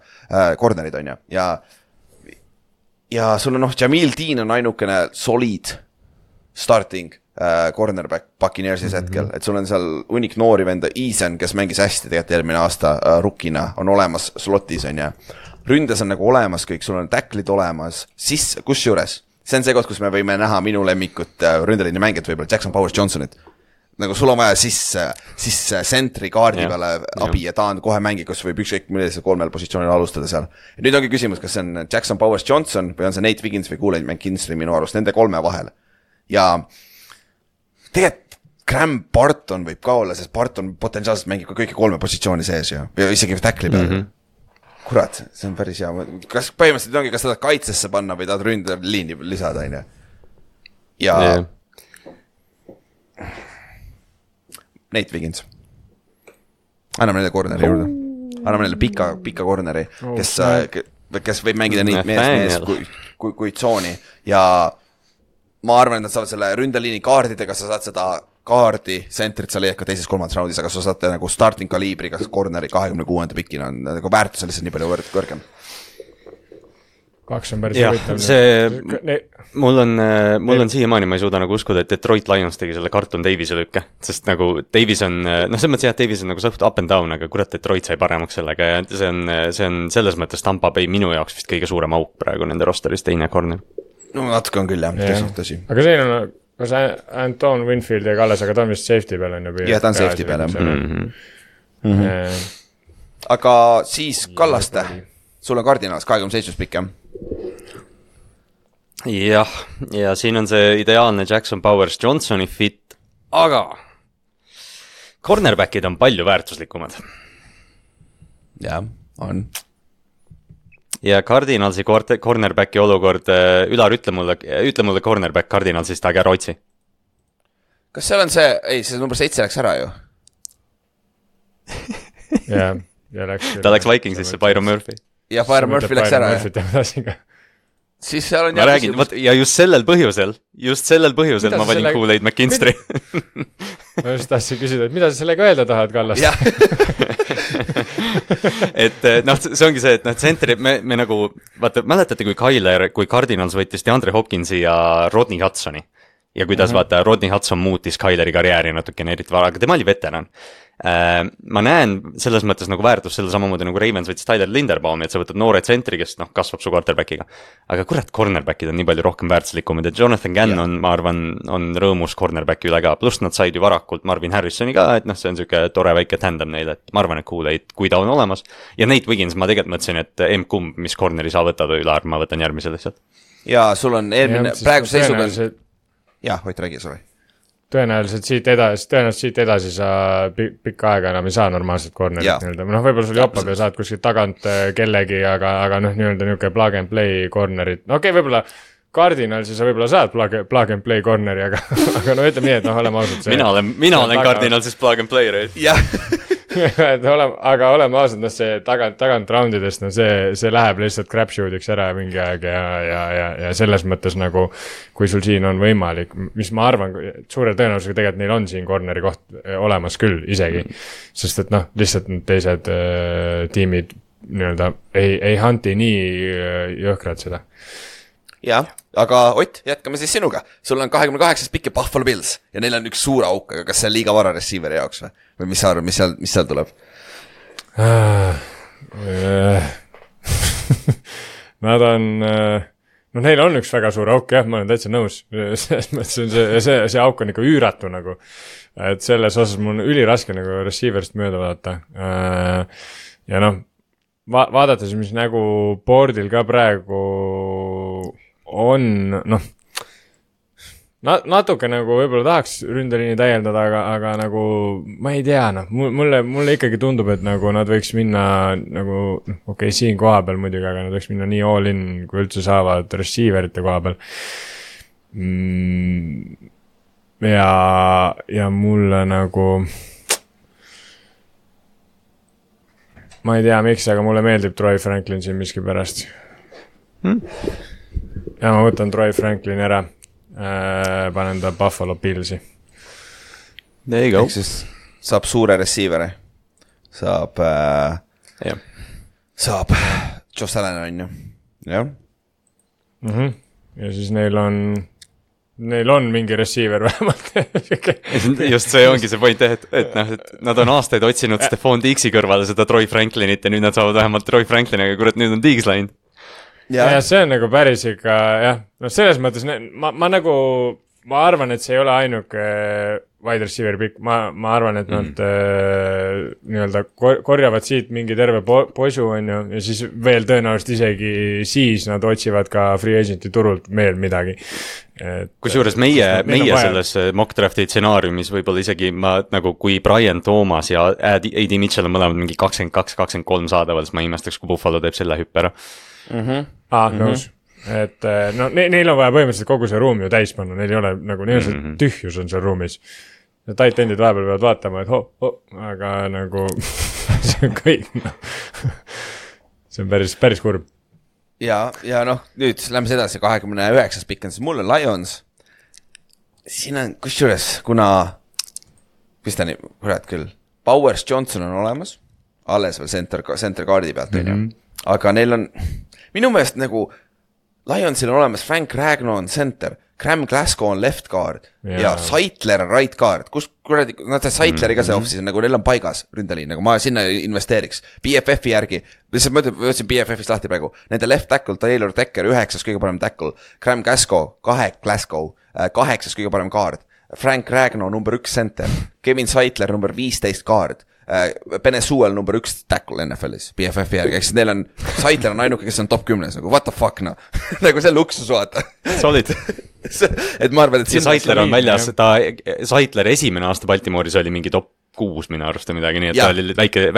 cornerid on ja sul on Jamil Dean on ainukene solid starting cornerback Buccaneersis hetkel, et sul on seal unik noori venda Eason, kes mängis hästi tegelikult eelmine aasta rukkina, on olemas slotis on ründes on nagu olemas kõik, sul on tacklid olemas, kusjuures see on see koht, kus me võime näha minu lemmikut ründeliini mängijat võib-olla Jackson Powers Johnsonit. Nagu sul on vaja siis sentri kaardi peale abi ja ta on kohe mängi, kus võib ükskõik millise 3 positsioonil alustada seal. Ja nüüd ongi küsimus, kas see on Jackson Powers Johnson või on see Nate Wiggins või Kool-Aid McKinstry minu arust, nende 3 vahel. Ja tegelikult Graham Barton võib ka olla, sest Barton potentsiaalselt mängib ka kõiki 3 positsiooni sees ja isegi tackli peale. Kurat, see on päris hea. Kas põhimõtteliselt ongi, kas tahad kaitsesse panna või tahad ründa liini lisada, on ja Nate Wiggins. Anname neile corneri juurde. Anname neile pika corneri, kes võib mängida neid mees kui tsooni. Ja ma arvan, et nad saavad selle ründeliini kaardidega, sa saad seda kaardi, sentrit sa leiad ka teises 3. raundis, aga sa saad nagu starting kaliibriga corneri 26. pikina on nagu väärtus on lihtsalt nii palju kõrgem. 2 on päris huvitav. See, mul on siiamaani, ma ei suuda nagu uskuda, et Detroit Lions tegi selle Carlton Davise lükke, sest nagu Davis on, see mõttes jah, Davis on nagu suht up and down, aga kurat, Detroit sai paremaks sellega ja see on selles mõttes Tampa Bay minu jaoks vist kõige suurem auk praegu nende rosteris, teine corner. No natuke on küll jah, tõsi. Aga see on kas Anton Winfield ja Kalles, aga ta on vist safety peal on jah, ta on safety peal aga siis Kallaste, sul on Cardinals 27 pikk jah, ja siin on see ideaalne Jackson Powers Johnsoni fit, aga cornerbackid on palju väärtuslikumad. jah, on ja Cardinalsi cornerbacki olukord, Ülar, ütle mulle cornerback Cardinalsist, aga ära otsi. Kas seal on see number 7 läks ära ju? ja läks. Ta läks Vikingsisse, Byron Murphy. Ja Byron Murphy läks ära. Siis seal on ma räägin, ja just sellel põhjusel ma valin Kool-Aid McKinstry. Ma just tahtsin küsida, et mida sa sellega öelda tahad, Kallas? et see ongi see, et tsentri, me nagu, vaata, mäletate, kui Cardinals võttis DeAndre Hopkinsi ja Rodney Hudsoni ja kuidas vaata, Rodney Hudson muutis Kyleri karjääri natukene eriti vara, aga tema oli veteran. Ma näen selles mõttes nagu väärtus selle samamoodi nagu Ravens võttis Tyler Linderbaumi, et sa võtad noore tsentri, kes kasvab su quarterbackiga. Aga kurat, cornerbackid on nii palju rohkem väärtuslikumad, et Jonathan Gannon, ma arvan, on rõõmus cornerbacki üle ka, pluss nad said ju varakult Marvin Harrisoni ka, et see on selline tore väike tandem neile, et ma arvan, et Kool-Aid, kui ta on olemas. Ja Nate Wiggins, ma tegelikult mõtlesin, et M-kumb, mis corneri sa võtad või Ülar, ma võtan järgmise lihtsalt. Ja sul on eelmine, praegu seisuga jah, Ott räägi, sorry. Tõenäoliselt siit edasi sa pikka aega enam ei saa normaalselt cornerit nii-öelda. Võib-olla sul joppab ja saad kuskilt tagant kellegi, aga nii-öelda niuke plug and play cornerit. Võib-olla Cardinalsi sa võib-olla saad plug and play corneri, aga ütleme nii, et oleme ausalt see. Mina olen Cardinalsis plug and player. Jah, aga oleme ausad, noh see tagant roundidest, no see läheb lihtsalt crapshoot'iks ära mingi aeg ja selles mõttes nagu, kui sul siin on võimalik, mis ma arvan, suure tõenäosusega tegelikult neil on siin corneri koht olemas küll isegi, sest et noh, lihtsalt need teised tiimid nii-öelda ei hunti nii jõhkrad seda. Jah, aga Ott, jätkame siis sinuga. Sul on 28 pikki Buffalo Bills ja neil on üks suur auk, aga kas see on liiga vara receiver'i jaoks või mis sa arvad, mis seal tuleb? Nad on, no neil on üks väga suur auk, jah, ma olen täitsa nõus. See auk on ikka üüratu nagu, et selles osas mul on üliraske nagu receiver'ist mööda vaadata. Ja noh, vaadates, mis nagu boardil ka praegu on, noh, natuke nagu võib-olla tahaks ründeliini täieldada, aga nagu ma ei tea, noh, mulle ikkagi tundub, et nagu nad võiks minna nagu, okei, siin koha peal muidugi, aga nad võiks minna nii all in, kui üldse saavad receiverite koha peal. Ja mulle nagu ma ei tea, miks, aga mulle meeldib Troy Franklin siin miski pärast. Ja ma võtan Troy Franklin ära, panen ta Buffalo Billsi. There you go. Ehk siis saab suure receiver'i. Saab Josh Allen on ju. Jah. Ja siis neil on mingi receiver vähemalt. Just see ongi see point, et nad on aastaid otsinud Stephon Diggs'i kõrvale seda Troy Franklinit ja nüüd nad saavad vähemalt Troy Franklin, aga kurat, nüüd on Diggs läinud. Ja see on nagu päris ikka, jah, no selles mõttes, ma arvan, et see ei ole ainuke wide receiver pikk, ma arvan, et nad nii-öelda korjavad siit mingi terve posu on ju, ja siis veel tõenäoliselt isegi siis nad otsivad ka free agenti turult veel midagi. Kusjuures meie selles mock drafti stsenaariumis võib-olla isegi nagu kui Brian Thomas ja A.D. Mitchell on mõlemad mingi 22-23 saadaval, siis ma imestaks, kui Buffalo teeb selle hüppe ära. Nõus. Et no neil on vaja põhimõtteliselt kogu see ruum ju täis panna, neil ei ole nagu tühjus on seal ruumis. Ja tight endid vahepeal peavad vaatama, et aga nagu see on kõik, no. See on päris kurb. Ja noh, nüüd lähme edasi 29 pikk on, siis mul on Lions. Siin on kusjuures, kuna kurat küll, Powers Johnson on olemas, alles veel center kaardi pealt, aga neil on minu meelest nagu Lionsil on olemas Frank Ragnow on center, Graham Glasgow on left guard ja Saitler on right guard. Kus kuradi, nad see Saitleri ka see offsis, nagu neil on paigas ründeliin, nagu ma sinna investeeriks. BFF-i järgi, lihtsalt ma ütlesin BFF-ist lahti praegu, nende left tackle, Taylor Decker, 9. kõige parem tackle, Graham Glasgow, 8. kõige parem guard, Frank Ragnow number 1 center, Kevin Saitler number 15 guard, Penny Sewell number 1 tackle NFL-is BFF järgi, eks neil on Saitler on ainuke, kes on top 10 nagu what the fuck no nagu see luksus vaata solid et ma arvan, et ja Saitler on väljas, Saitler esimene aasta Baltimooris oli mingi top 6 minu arust või midagi, nii et ta oli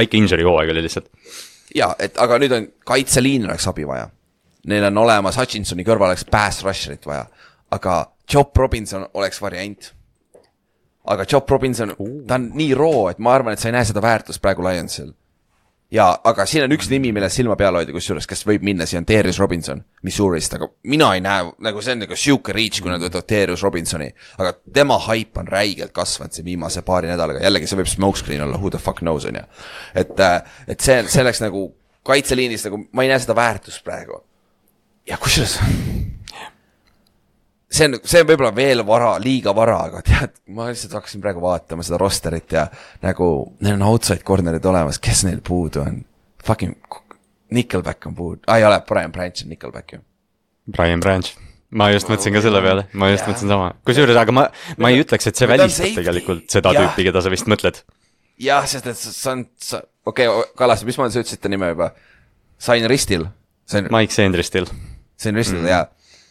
väike injury hooaeg oli lihtsalt ja, et aga nüüd on kaitseliin oleks abi vaja, neil on olemas Hutchinsoni kõrval oleks pass rusherit vaja, aga Job Robinson oleks variant. Aga Job Robinson, ta on nii roo, et ma arvan, et sa ei näe seda väärtust praegu Lionsil. Ja, aga siin on üks nimi, mille silma peal hoida, kusjuures, kes võib minna, siin on Darius Robinson, Missourist, aga mina ei näe, nagu see on nagu siuke reach, kui nad võtavad Darius Robinsoni, aga tema hype on räigelt kasvanud see viimase paari nädalaga, jällegi see võib smokescreen olla, who the fuck knows on ja. Et see oleks nagu kaitseliinist, nagu ma ei näe seda väärtust praegu. Ja kusjuures see on võib-olla veel liiga vara, aga tead, ma lihtsalt hakkasin praegu vaatama seda rosterit ja nagu neil on outside cornerid olemas, kes neil puudu on? Fucking Nickelback on puudu. Ei ole, Brian Branch on Nickelback ju. Brian Branch. Ma just mõtlesin ka selle peale, mõtlesin sama. Kusjuures, aga ma ei ütleks, et see välistab tegelikult seda tüüpi, keda sa vist mõtled. Jah, sest et sa okei, Kalas, mis ma sa ütlesid ta nime juba? Sain Ristil. Mike Sandristil. Sain Ristil, jaa.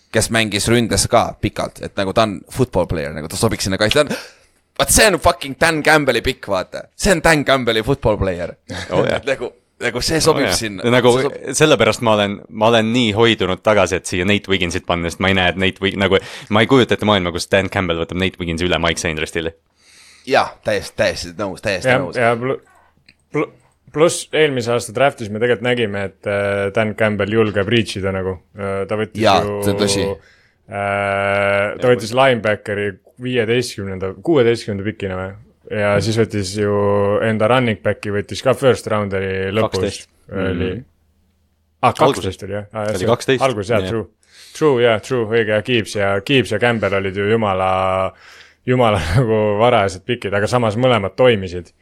Kes mängis ründes ka pikalt, et nagu ta on football player, nagu ta sobiks sinna kaitse. Vaat see on fucking Dan Campbelli pikk, vaata. See on Dan Campbelli football player. Nagu see sobib sinna. Nagu sellepärast ma olen nii hoidunud tagasi, et siia Nate Wigginsit panna, sest ma ei näe, et Nate Wiggins, nagu ma ei kujuta ette maailma, kus Dan Campbell võtab Nate Wigginsi üle Mike Sandristile. Jah, täiesti nõus, täiesti nõus. Pluss eelmise aasta draftis me tegelikult nägime, et Dan Campbell julgeb reachida nagu. Ta võttis ta võttis linebackeri 16. pikina või? Ja siis võttis ju enda running backi, võttis ka first rounderi lõpus. 12. 12 oli jah? Oli 12. Algus jah, true, õige, Gibbs ja Campbell olid ju jumala nagu varajased pikid, aga samas mõlemad toimisid.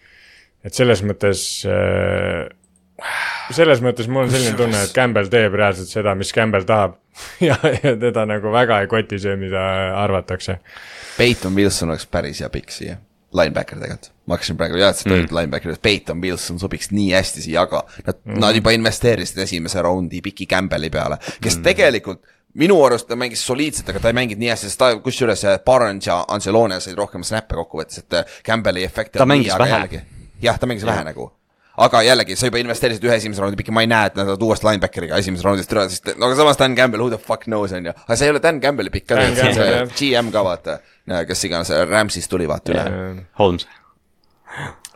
Et selles mõttes mul on selline tunne, et Campbell teeb reaalselt seda, mis Campbell tahab ja teda nagu väga ei koti see, mida arvatakse. Peyton Wilson oleks päris hea pikk siia, linebacker tegelikult. Ma hakkasin praegu linebacker, Peyton Wilson sobiks nii hästi siia, aga nad juba investeerisid esimese raundi piki Campbelli peale, kes tegelikult minu arust ta mängis soliidselt, aga ta ei mängid nii hästi, sest ta kusjuures Barnes ja Ancelone said rohkem snappe kokku võttes, et Campbelli efekti ta mängis vähe. Jah, ta mängis vähe nagu. Aga jällegi, sa juba investeerisid ühe esimese raundi pikki, ma ei näe, et nad uuest linebackeriga esimese raundist üle, sest no aga samas Dan Campbell, who the fuck knows on ju. Aga see ei ole Dan Campbelli pikk, see GM ka vaata, kes iganes Rams'ist tuli vaata üle. Holmes.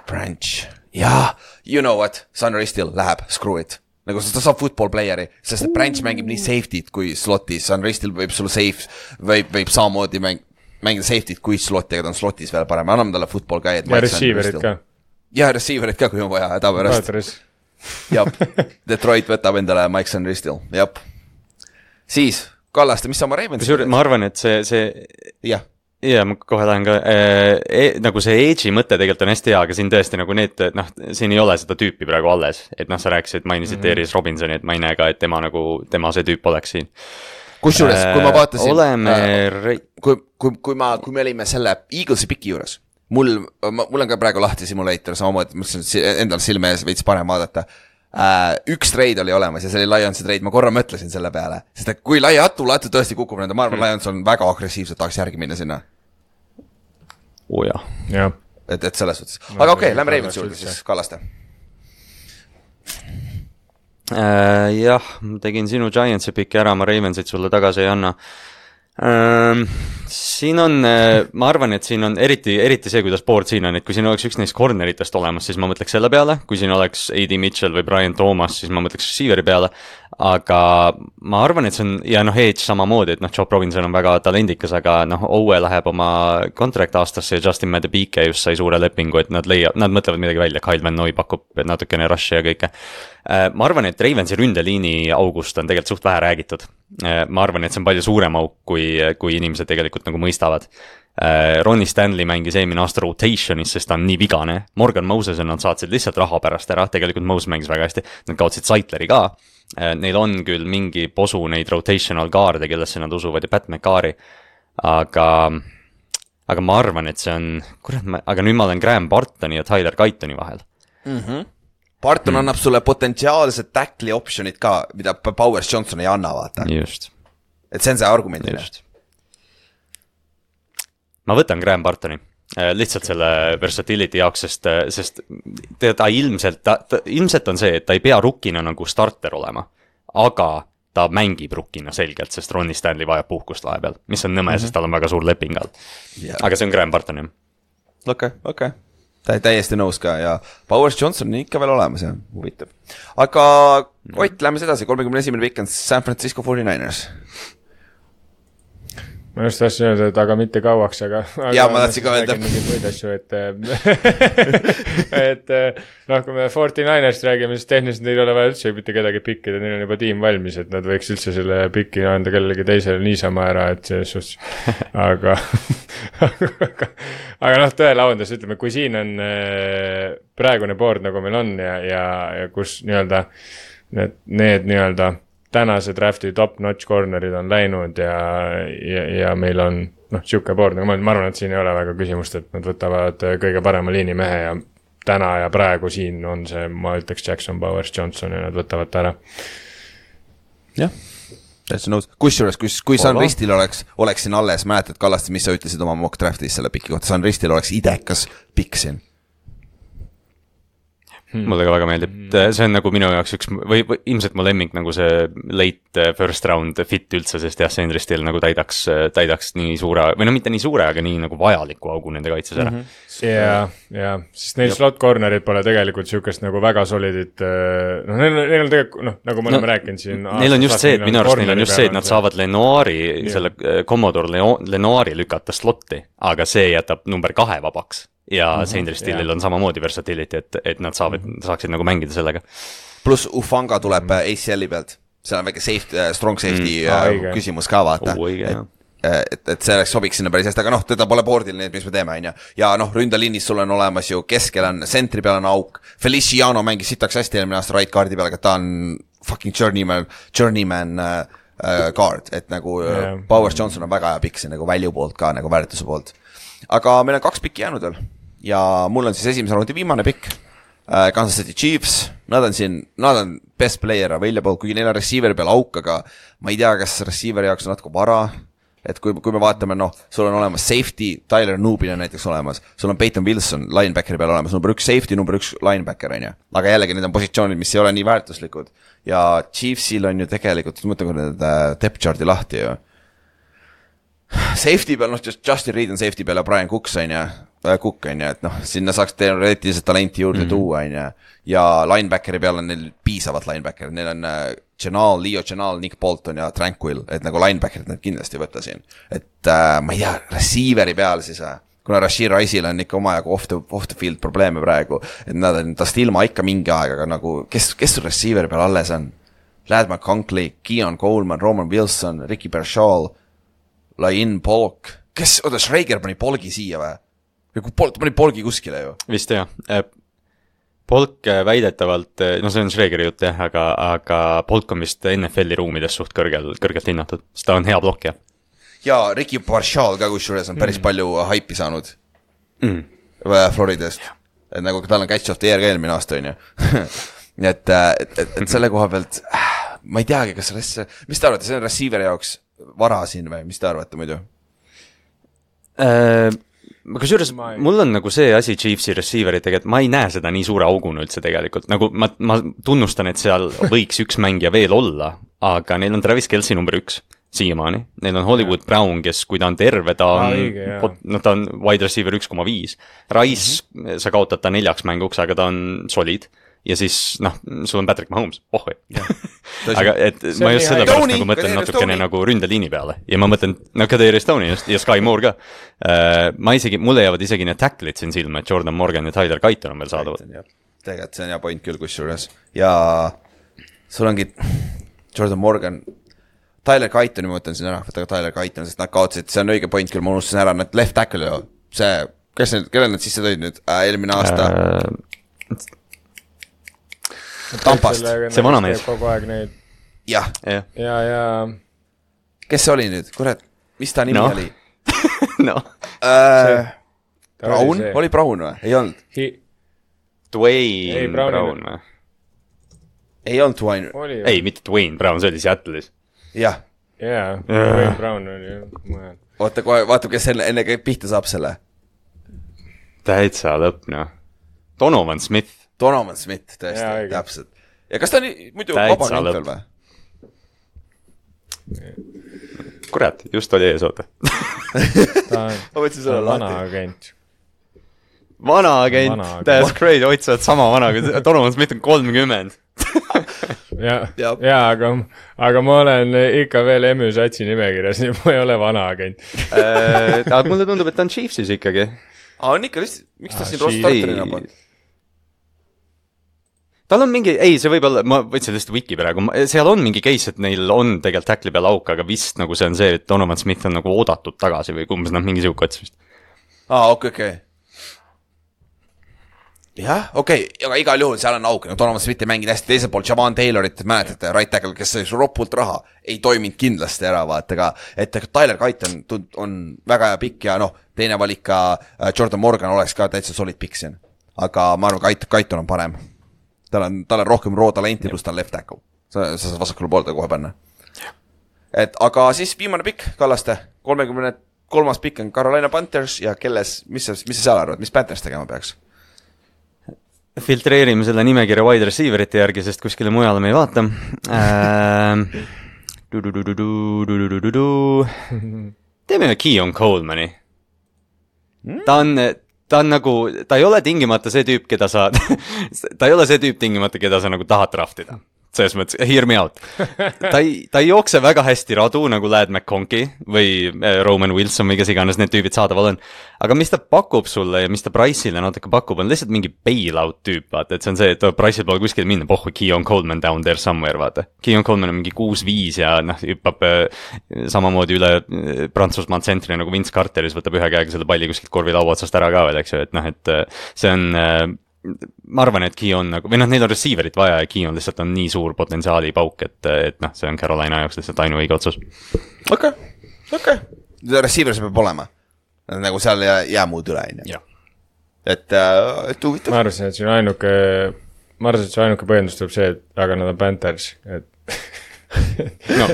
Branch. Jaa, you know what, Sunray still läheb, screw it. Nagu ta saab football playeri, sest et Branch mängib nii safety't kui slotis, Sunray still võib sulle võib samamoodi mängida safety't kui slotti, aga ta on slotis veel parem, anname talle football ka. Ja receiverit ka. Ja receiverit ka, kui on vaja, hädapärast. Jab, Detroit võtab endale Mike Sandristil, jab. Siis, Kallaste, mis sa oma Ravens? Ma arvan, et see jah. Ja ma kohe tahan ka, nagu see edge'i mõte tegelikult on hästi hea, aga siin tõesti nagu need, siin ei ole seda tüüpi praegu alles, et sa rääkisid, mainisid Darius Robinsoni, et ma ei näe ka, et tema see tüüp oleks siin. Kusjuures, kui ma vaatasin, kui me olime selle Eaglesi piki juures, mul on ka praegu lahti simulator, samamoodi, mõtlesin endal silme ees veits parem vaadata. Üks trade oli olemas ja see oli Lionsi trade, ma korra mõtlesin selle peale, sest et kui Latu tõesti kukub nende, ma arvan, Lions on väga agressiivselt, tahaks järgi minna sinna. jah. Et selles suhtes. Aga okei, lähme Ravens juurde siis, Kallaste. Jah, tegin sinu Giantsi piki ära, ma Ravensit sulle tagasi ei anna. Siin on, ma arvan, et siin on eriti see, kuidas board siin on, et kui siin oleks üks neist corneritest olemas, siis ma mõtleks selle peale, kui siin oleks A.D. Mitchell või Brian Thomas, siis ma mõtleks receiveri peale, aga ma arvan, et see on, ja Edge samamoodi, et Joe Robinson on väga talendikas, aga Owe läheb oma contract aastasse ja Justin Madebike just sai suure lepingu, et nad mõtlevad midagi välja, Kyle Van Noy pakub natukene rush'i ja kõike. Ma arvan, et Ravensi ründeliini august on tegelikult suht vähe räägitud. Ma arvan, et see on palju suurem auk, kui inimesed tegelikult nagu mõistavad. Ronnie Stanley mängis eelmine aasta rotationis, sest ta on nii vigane. Morgan Mosesen nad saatsid lihtsalt raha pärast ära, tegelikult Moses mängis väga hästi. Nad kaotsid Saitleri ka. Neil on küll mingi posu neid rotational guarde, kellesse nad usuvad ja Pat McCarry. Aga ma arvan, et see on, aga nüüd ma olen Graham Bartoni ja Tyler Guytoni vahel. Barton annab sulle potentsiaalsed tackli optionid ka, mida Powers Johnson ei anna, vaata. Just. Et see on see argument. Just. Ma võtan Graham Bartoni. Lihtsalt selle versatility jaoks, sest ta ilmselt on see, et ta ei pea rukkina nagu starter olema, aga ta mängib rukkina selgelt, sest Ronnie Stanley vajab puhkust vahepeal, mis on nõme, sest tal on väga suur leping all. Aga see on Graham Bartoni. Okei. Täiesti nõus ka ja Powers Johnson on ikka veel olemas ja huvitav. Aga Ott, lähme edasi, 31. pikk on San Francisco 49ers. Ma just tahtsin öelda, et aga mitte kauaks, aga ja ma tahtsin ka öelda. Et kui me 49ers räägime, siis tehniliselt neil ei ole vaja üldse mitte kedagi pikkida, neil on juba tiim valmis, et nad võiks üldse selle pikki anda kellelegi teisele niisama ära, et selles suhtes. Aga tõele avandus, ütleme, kui siin on praegune board, nagu meil on ja kus nii-öelda need nii-öelda tänase drafti top-notch cornerid on läinud ja meil on siuke board, nagu ma arvan, et siin ei ole väga küsimust, et nad võtavad kõige parema liinimehe ja täna ja praegu siin on see, ma ütleks Jackson, Powers, Johnson ja nad võtavad ta ära. Jah, täitsa nõus. Kusjuures, kui San Ristil oleks siin alles, mäletad Kallaste, mis sa ütlesid oma mock draftis selle piki kohta, San Ristil oleks idekas pikk siin. mulle ka väga meeldib, see on nagu minu jaoks üks või ilmselt mu lemmik nagu see late first round fit üldse, sest jah, Sandri Still nagu täidaks nii suure, või no mitte nii suure, aga nii nagu vajaliku augu nende kaitses ära. Ja, sest neil slot cornerid pole tegelikult siukest nagu väga solidit, noh, neil on tegelikult, nagu me oleme rääkinud siin. Neil on just see, et minu arust neil on just see, et nad saavad Lenoiri, selle Commodore Lenoiri lükata slotti, aga see jätab number 2 vabaks. Ja Sandri Stillil on samamoodi versatility, et nad saaksid nagu mängida sellega. Plus Ufanga tuleb ACL-i pealt, see on väike strong safety küsimus ka vaata. Et see sobiks sinna päris hästi, aga noh, teda pole boardil, nii et mis me teeme, on ju. Ja noh, ründaliinis sul on olemas ju, keskel on, sentri peal on auk, Feliciano mängis sitaks hästi eelmine aasta right guardi peal, aga ta on fucking journeyman guard, et nagu Powers Johnson on väga hea pikk, see nagu value poolt ka, nagu väärtuse poolt. Aga meil on 2 pikki jäänud veel. Ja mul on siis esimese raundi viimane pikk, Kansas City Chiefs, nad on best player available, kuigi neil on receiver peal auk, aga ma ei tea, kas receiveri jaoks on natuke vara, et kui me vaatame, noh, sul on olemas safety, Tyler Nubin on näiteks olemas, sul on Peyton Wilson linebackeri peal olemas, number 1 safety, number 1 linebacker, on ju. Aga jällegi need on positsioonid, mis ei ole nii väärtuslikud. Ja Chiefsil on ju tegelikult, mõtlen, kui need depth chart'i lahti ju. Safety peal, noh, Justin Reed on safety peal ja Brian Cook on ju, et noh, sinna saaks teoreetiliselt talenti juurde tuua, on ju. Ja linebackeri peal on neil piisavalt linebackeri, neil on Leo Chenal, Nick Bolton ja Tranquil, et nagu linebackerid need kindlasti võtta siin. Et ma ei tea, receiveri peal siis, kuna Rashid Rice'il on ikka omajagu off the field probleeme praegu, et nad on tast ilma ikka mingi aeg, aga nagu, kes sul receiveri peal alles on? Lad McConkley, Keon Coleman, Roman Wilson, Ricky Bershall, Lain Polk, Schrager pani Polgi siia või? Ta pani Polgi kuskile ju. Vist jah. Polk väidetavalt, no see on Schregeri jutt jah, aga Polk on vist NFL-i ruumides suht kõrgelt hinnatud, sest ta on hea blokk. Ja Ricky Bershall ka kusjuures on päris palju haipi saanud Floridast. Et nagu tal on catch of the year ka eelmine aasta on ju. et selle koha pealt ma ei teagi, kas mis te arvate, see on receiver jaoks vara siin või, mis te arvate muidu? Kusjuures mul on nagu see asi Chiefsi receiveritega, et ma ei näe seda nii suure auguna üldse tegelikult, nagu ma tunnustan, et seal võiks üks mängija veel olla, aga neil on Travis Kelce number 1 siiamaani, neil on Hollywood Brown, kes kui ta on terve, ta on wide receiver 1,5 Rice, sa kaotad ta 4 mänguks, aga ta on solid ja siis, noh, sul on Patrick Mahomes, aga et ma just selle pärast nagu mõtlen natukene nagu ründeliini peale ja ma mõtlen, no Kadri Stoney ja Sky Moore ka, mulle jäävad isegi need tackle'id siin silma, et Jordan Morgan ja Tyler Guyton on veel saadavad. Tegelikult see on hea point küll kusjuures ja sul ongi Jordan Morgan, Tyler Guytoni ma mõtlen siin ära, võtta ka Tyler Guyton, sest nad kaotsid, see on õige point küll, ma unustasin ära, need left tackle ju, see, kelle nad sisse tõid nüüd eelmine aasta? Tampast, see vanamees. Kogu aeg neid. Ja. Kes see oli nüüd? Kurat, mis ta nimi oli? No. Brown? Oli Brown või? Ei olnud. Dwayne Brown või? Ei olnud Dwayne. Ei, mitte Dwayne Brown, see oli Seattle'is. Jah. Dwayne Brown oli. Oota, vaata, kes enne pihta saab selle. Täitsa lõpp, noh. Donovan Smith, tõesti, täpselt. Ja kas ta on muidu vaba nüüd veel või? Kurat, just oli ees, oota. Ta on vana agent. That's great, otsad sama vana, Donovan Smith on 30. aga ma olen ikka veel MÜ satsi nimekirjas, nii ma ei ole vana agent. Aga mulle tundub, et ta on Chiefsis ikkagi. On ikka, miks ta siin Ross-Tarterina pole? Tal on mingi, ei, see võib olla, ma võtsin lihtsalt wiki praegu, seal on mingi case, et neil on tegelikult tackli peal auk, aga vist nagu see on see, et Donovan Smith on nagu oodatud tagasi või kumbes nad mingi siuke ots vist. Okei. Jah, okei, aga igal juhul seal on auk, Donovan Smith ei mänginud hästi, teisel pool Javon Taylorit, mäletate, right tackle, kes sai ropult raha, ei toiminud kindlasti ära, vaata ka, et Tyler Guyton on väga hea pikk ja noh, teine valik ka Jordan Morgan oleks ka täitsa solid pikk siin, aga ma arvan, Guyton on parem. Tal on rohkem raw talenti, pluss ta on left tackle. Sa saad vasakule poolde kohe panna. Et, aga siis viimane pikk, Kallaste, 33. pikk on Carolina Panthers ja mis sa seal arvad, mis Panthers tegema peaks? filtreerime selle nimekirja wide receiver'ite järgi, sest kuskile mujale me ei vaata. Teeme Keon Colemani. Ta on nagu, ta ei ole tingimata see tüüp, keda sa, ta ei ole see tüüp tingimata, keda sa nagu tahad draftida. Selles mõttes, hear me out. Ta ei jookse väga hästi radu nagu Ladd McConkey või Roman Wilson või kes iganes need tüübid saadaval on. Aga mis ta pakub sulle ja mis ta Price'ile natuke pakub, on lihtsalt mingi bailout tüüp, vaata, et see on see, et Price'il pole kuskil minna, pohhu, Keon Coleman down there somewhere, vaata. Keon Coleman on mingi 6-5 ja hüppab samamoodi üle Prantsusmaa tsentri nagu Vince Carteris, võtab ühe käega selle palli kuskilt korvi laua otsast ära ka veel, eks ju, et see on ma arvan, et Keon nagu, või neil on receiverit vaja ja Keon lihtsalt on nii suur potentsiaali pauk, et see on Carolina jaoks lihtsalt ainu õige otsus. Okei. Receiver see peab olema. Nagu seal jää muud üle, et huvitav. Ma arvasin, et see ainuke põhjendus tuleb see, et aga nad on Panthers, et no,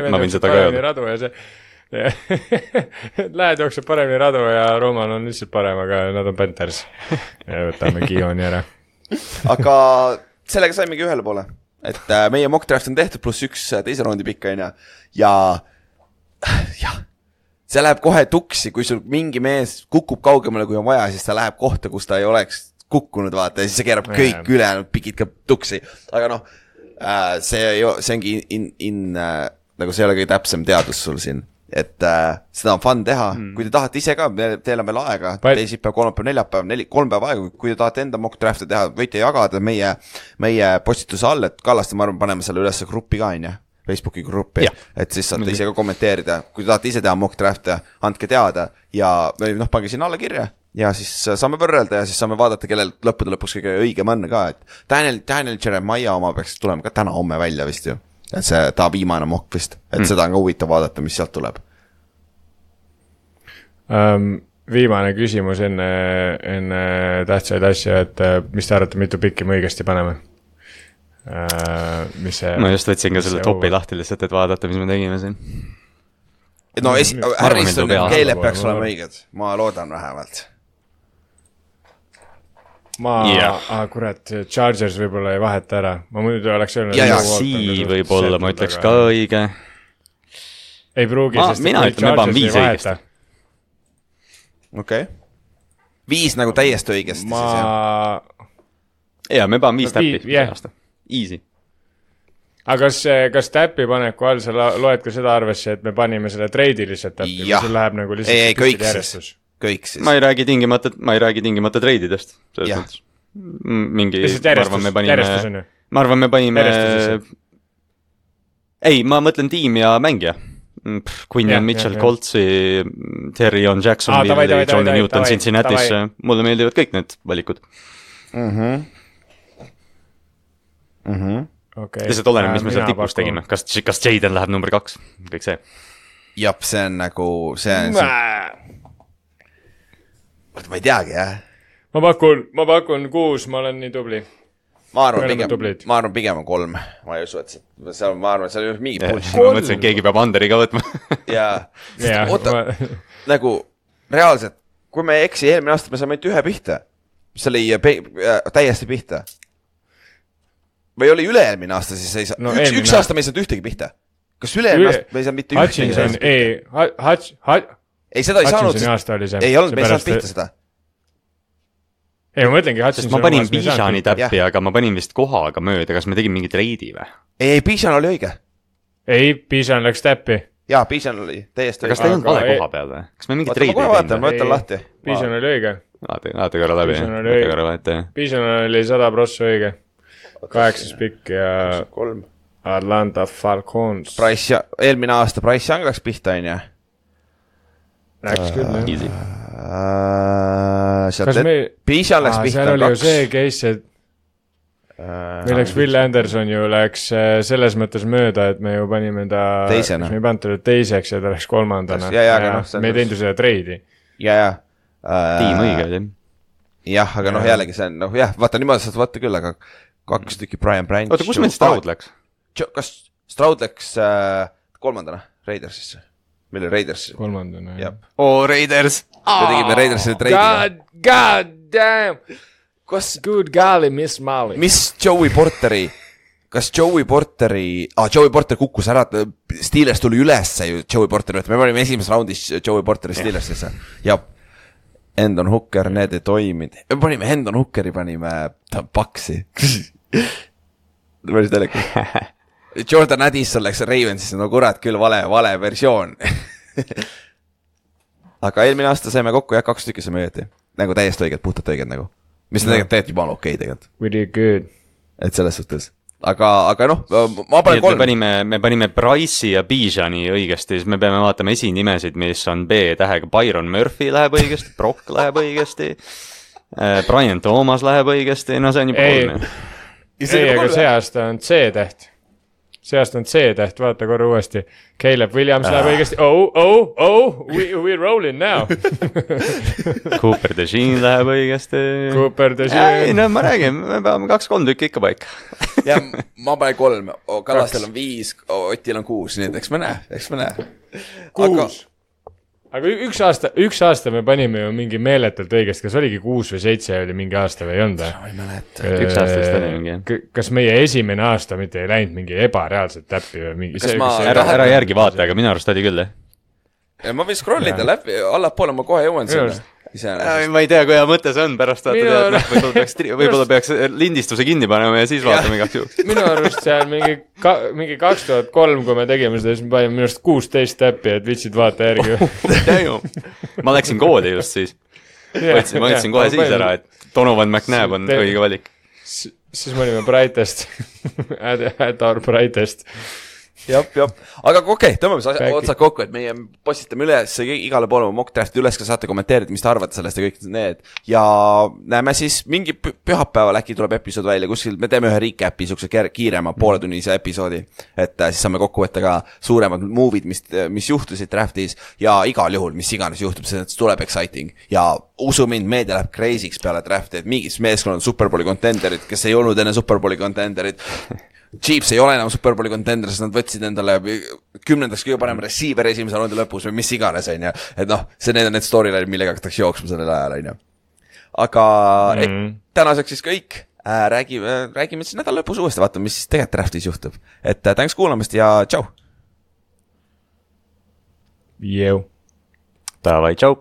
ma võin seda ka öelda. Lähed jookseb paremini radu ja Roman on lihtsalt parem, aga nad on Panthers ja võtame Keoni ära. Aga sellega saimegi ühele poole, et meie mock draft on tehtud +1 teise raundi pikka ja see läheb kohe tuksi, kui sul mingi mees kukub kaugemale, kui on vaja, siis ta läheb kohta, kus ta ei oleks kukkunud, vaata, ja siis see keerab kõik ülejäänud pikid ka tuksi, aga see ongi nagu see ei ole kõige täpsem teadus sul siin. Et seda on fun teha, kui te tahate ise ka, teil on veel aega, teisipäev, kolmapäev, neljapäev, 3 päeva aega, kui te tahate enda mock drafti teha, võite jagada meie postituse all, et Kallaste, ma arvan, paneme selle üles gruppi ka, Facebooki gruppi, et siis saate ise ka kommenteerida, kui te tahate ise teha mock drafti, andke teada ja pange sinna alla kirja ja siis saame võrrelda ja siis saame vaadata, kellel lõppude lõpuks kõige õigem on ka, et Daniel Jeremiah oma peaks tulema ka täna homme välja vist ju. Et see ta viimane mock vist, et seda on ka huvitav vaadata, mis sealt tuleb. Viimane küsimus enne tähtsaid asja, et mis te arvate, mitu pikki me õigesti paneme? Ma just võtsin ka selle topi lahti lihtsalt, et vaadata, mis me tegime siin. No Harrison ja Caleb peaks olema õiged, ma loodan vähemalt. Kurat, Chargers võib-olla ei vaheta ära. Ma muidu oleks öelnud... Sii võib-olla, ma ütleks ka õige. Ei pruugi, sest mina ütlen, me panen 5 õigesti. Okei. 5 nagu täiesti õigesti siis, me panen 5 täppi aasta. Easy. Aga kas täppi paneku all sa loed ka seda arvesse, et me panime selle treidi lihtsalt täppi? Jah. Või läheb nagu lihtsalt järjestus? Kõik siis. Ma ei räägi tingimata treididest. Mingi, ma arvan, me panime ei, ma mõtlen tiim ja mängija. Quinn Mitchell, Coltsi, Terry on Jacksonville, Johnny Newton Cincinnati's, mulle meeldivad kõik need valikud. Lihtsalt oleneb, mis me seal tipus tegime. Kas Jaden läheb number 2? Kõik see. Jab, see on nagu, ma ei teagi, jah. Ma pakun 6, ma olen nii tubli. Ma arvan pigem on 3. Ma ei usu, et ma arvan, et seal ei ole mingit pull. Ma mõtlesin, et keegi peab Anderi ka võtma. Oota, nagu reaalselt, kui me ei eksi, eelmine aasta me saame ainult ühe pihta. See oli täiesti pihta. Või oli üle-eelmine aasta, siis ei saa. Üks aasta me ei saanud ühtegi pihta. Kas üle-eelmine aasta me ei saanud mitte ühtegi? Ei, seda ei saanud. Ei olnud, me ei saanud pihta seda. Ei, ma mõtlengi, ma panin Bijani täppi, aga ma panin vist kohaga mööda, kas me tegime mingi treidi või? Ei, Bijan oli õige. Ei, Bijan läks täppi. Jaa, Bijan oli täiesti õige. Kas ta ei olnud vale koha peal või? Kas me mingi treidi ei teinud? Ma võtan lahti. Bijan oli õige. Vaata korra läbi. Bijan oli 100% õige. 8 pikk ja Atlanta Falcons. Eelmine aasta Price Young läks pihta, on ja? Läks küll, easy. Bijan läks pihta. Seal oli ju see case, et milleks Will Anderson ju läks selles mõttes mööda, et me ju panime ta teisena. Me ei pannud teda teiseks ja ta läks kolmandana. Me ei teinud ju seda treidi. Tiim õige. Jah, aga jällegi see on, vaata niimoodi saad vaata küll, aga 2 tükki Brian Branch. Oota, kus meil Stroud läks? Kas Stroud läks kolmandana Raidersisse? Meil oli Raiders. Kolmandana, jah. Raiders! Me tegime Raidersile treidile. God damn! Good golly, Miss Molly. Mis Joey Porteri Joey Porter kukkus ära, Steelers tuli ülesse ju Joey Porteri, me panime esimeses raundis Joey Porteri Steelersisse ja Hendon Hooker, need ei toiminud. Me panime Hendon Hookeri, panime paksi. Päris telekus. Jordan Addison läks Ravensisse, no kurat küll vale versioon. Aga eelmine aasta saime kokku 2 tükki saime õieti. Nagu täiesti õiged, puhtalt õiged nagu. Mis tegelikult juba on okei tegelikult. We did good. Et selles suhtes. Aga noh, ma panen 3. Me panime Bryce'i ja Bijani õigesti, siis me peame vaatama esinimesid, mis on B-tähega. Byron Murphy läheb õigesti, Brock läheb õigesti, Brian Thomas läheb õigesti, no see on juba kolm. Ei, aga see aasta on C-täht. Vaata korra uuesti. Caleb Williams läheb õigesti. We're rolling now. Cooper DeJean läheb õigesti. Ei, no ma räägin, me peame 2-3 tükki ikka paika. Ja ma panen 3, Kallastel on 5, Otil on 6, nii et eks me näe. 6. Aga üks aasta me panime ju mingi meeletult õigesti, kas oligi 6 või 7 oli mingi aasta või ei olnud? Ma ei mäleta. Üks aastast oli mingi. Kas meie esimene aasta mitte ei läinud mingi ebareaalselt täppi või mingi? Ära järgi vaata, aga minu arust oli küll. Ja ma võin scrollida läbi, allapoole ma kohe jõuan sinna. Ma ei tea, kui hea mõte see on pärast vaata võib-olla peaks lindistuse kinni panema ja siis vaatame igaks juhuks. Minu arust seal mingi 2003, kui me tegime seda, siis me panime minu arust 16 täppi, et vitsid vaata järgi. Ma läksin kooli just siis. Ma ütlesin kohe siis ära, et Donovan McNabb on õige valik. Siis me olime brightest. At our brightest. Jap. Aga okei, tõmbame otsad kokku, et meie postitame üles igale poole mock drafti üles, ka saate kommenteerida, mis te arvate sellest ja kõik need. Ja näeme siis mingi pühapäeval äkki tuleb episood välja, kuskil me teeme ühe recap'i, sukse kiirema pooletunnise episoodi, et siis saame kokku võtta ka suuremad movid, mis juhtusid draftis ja igal juhul, mis iganes juhtub, see tuleb exciting. Ja usu mind, meedia läheb crazy'ks peale drafti, et mingis meeskonnad Superbowli contenderid, kes ei olnud enne Superbowli contenderid. Chiefs ei ole enam Superbowli contender, sest nad võtsid endale 10. kõige parem receiver esimese raundi lõpus või mis iganes, on ju. Et noh, need on need storyline, millega hakatakse jooksma sellel ajal, on ju. Aga tänaseks siis kõik. Räägime siis nädal lõpus uuesti, vaatame, mis siis tegelikult draftis juhtub. Et tänks kuulamast ja tšau! Davai, tšau!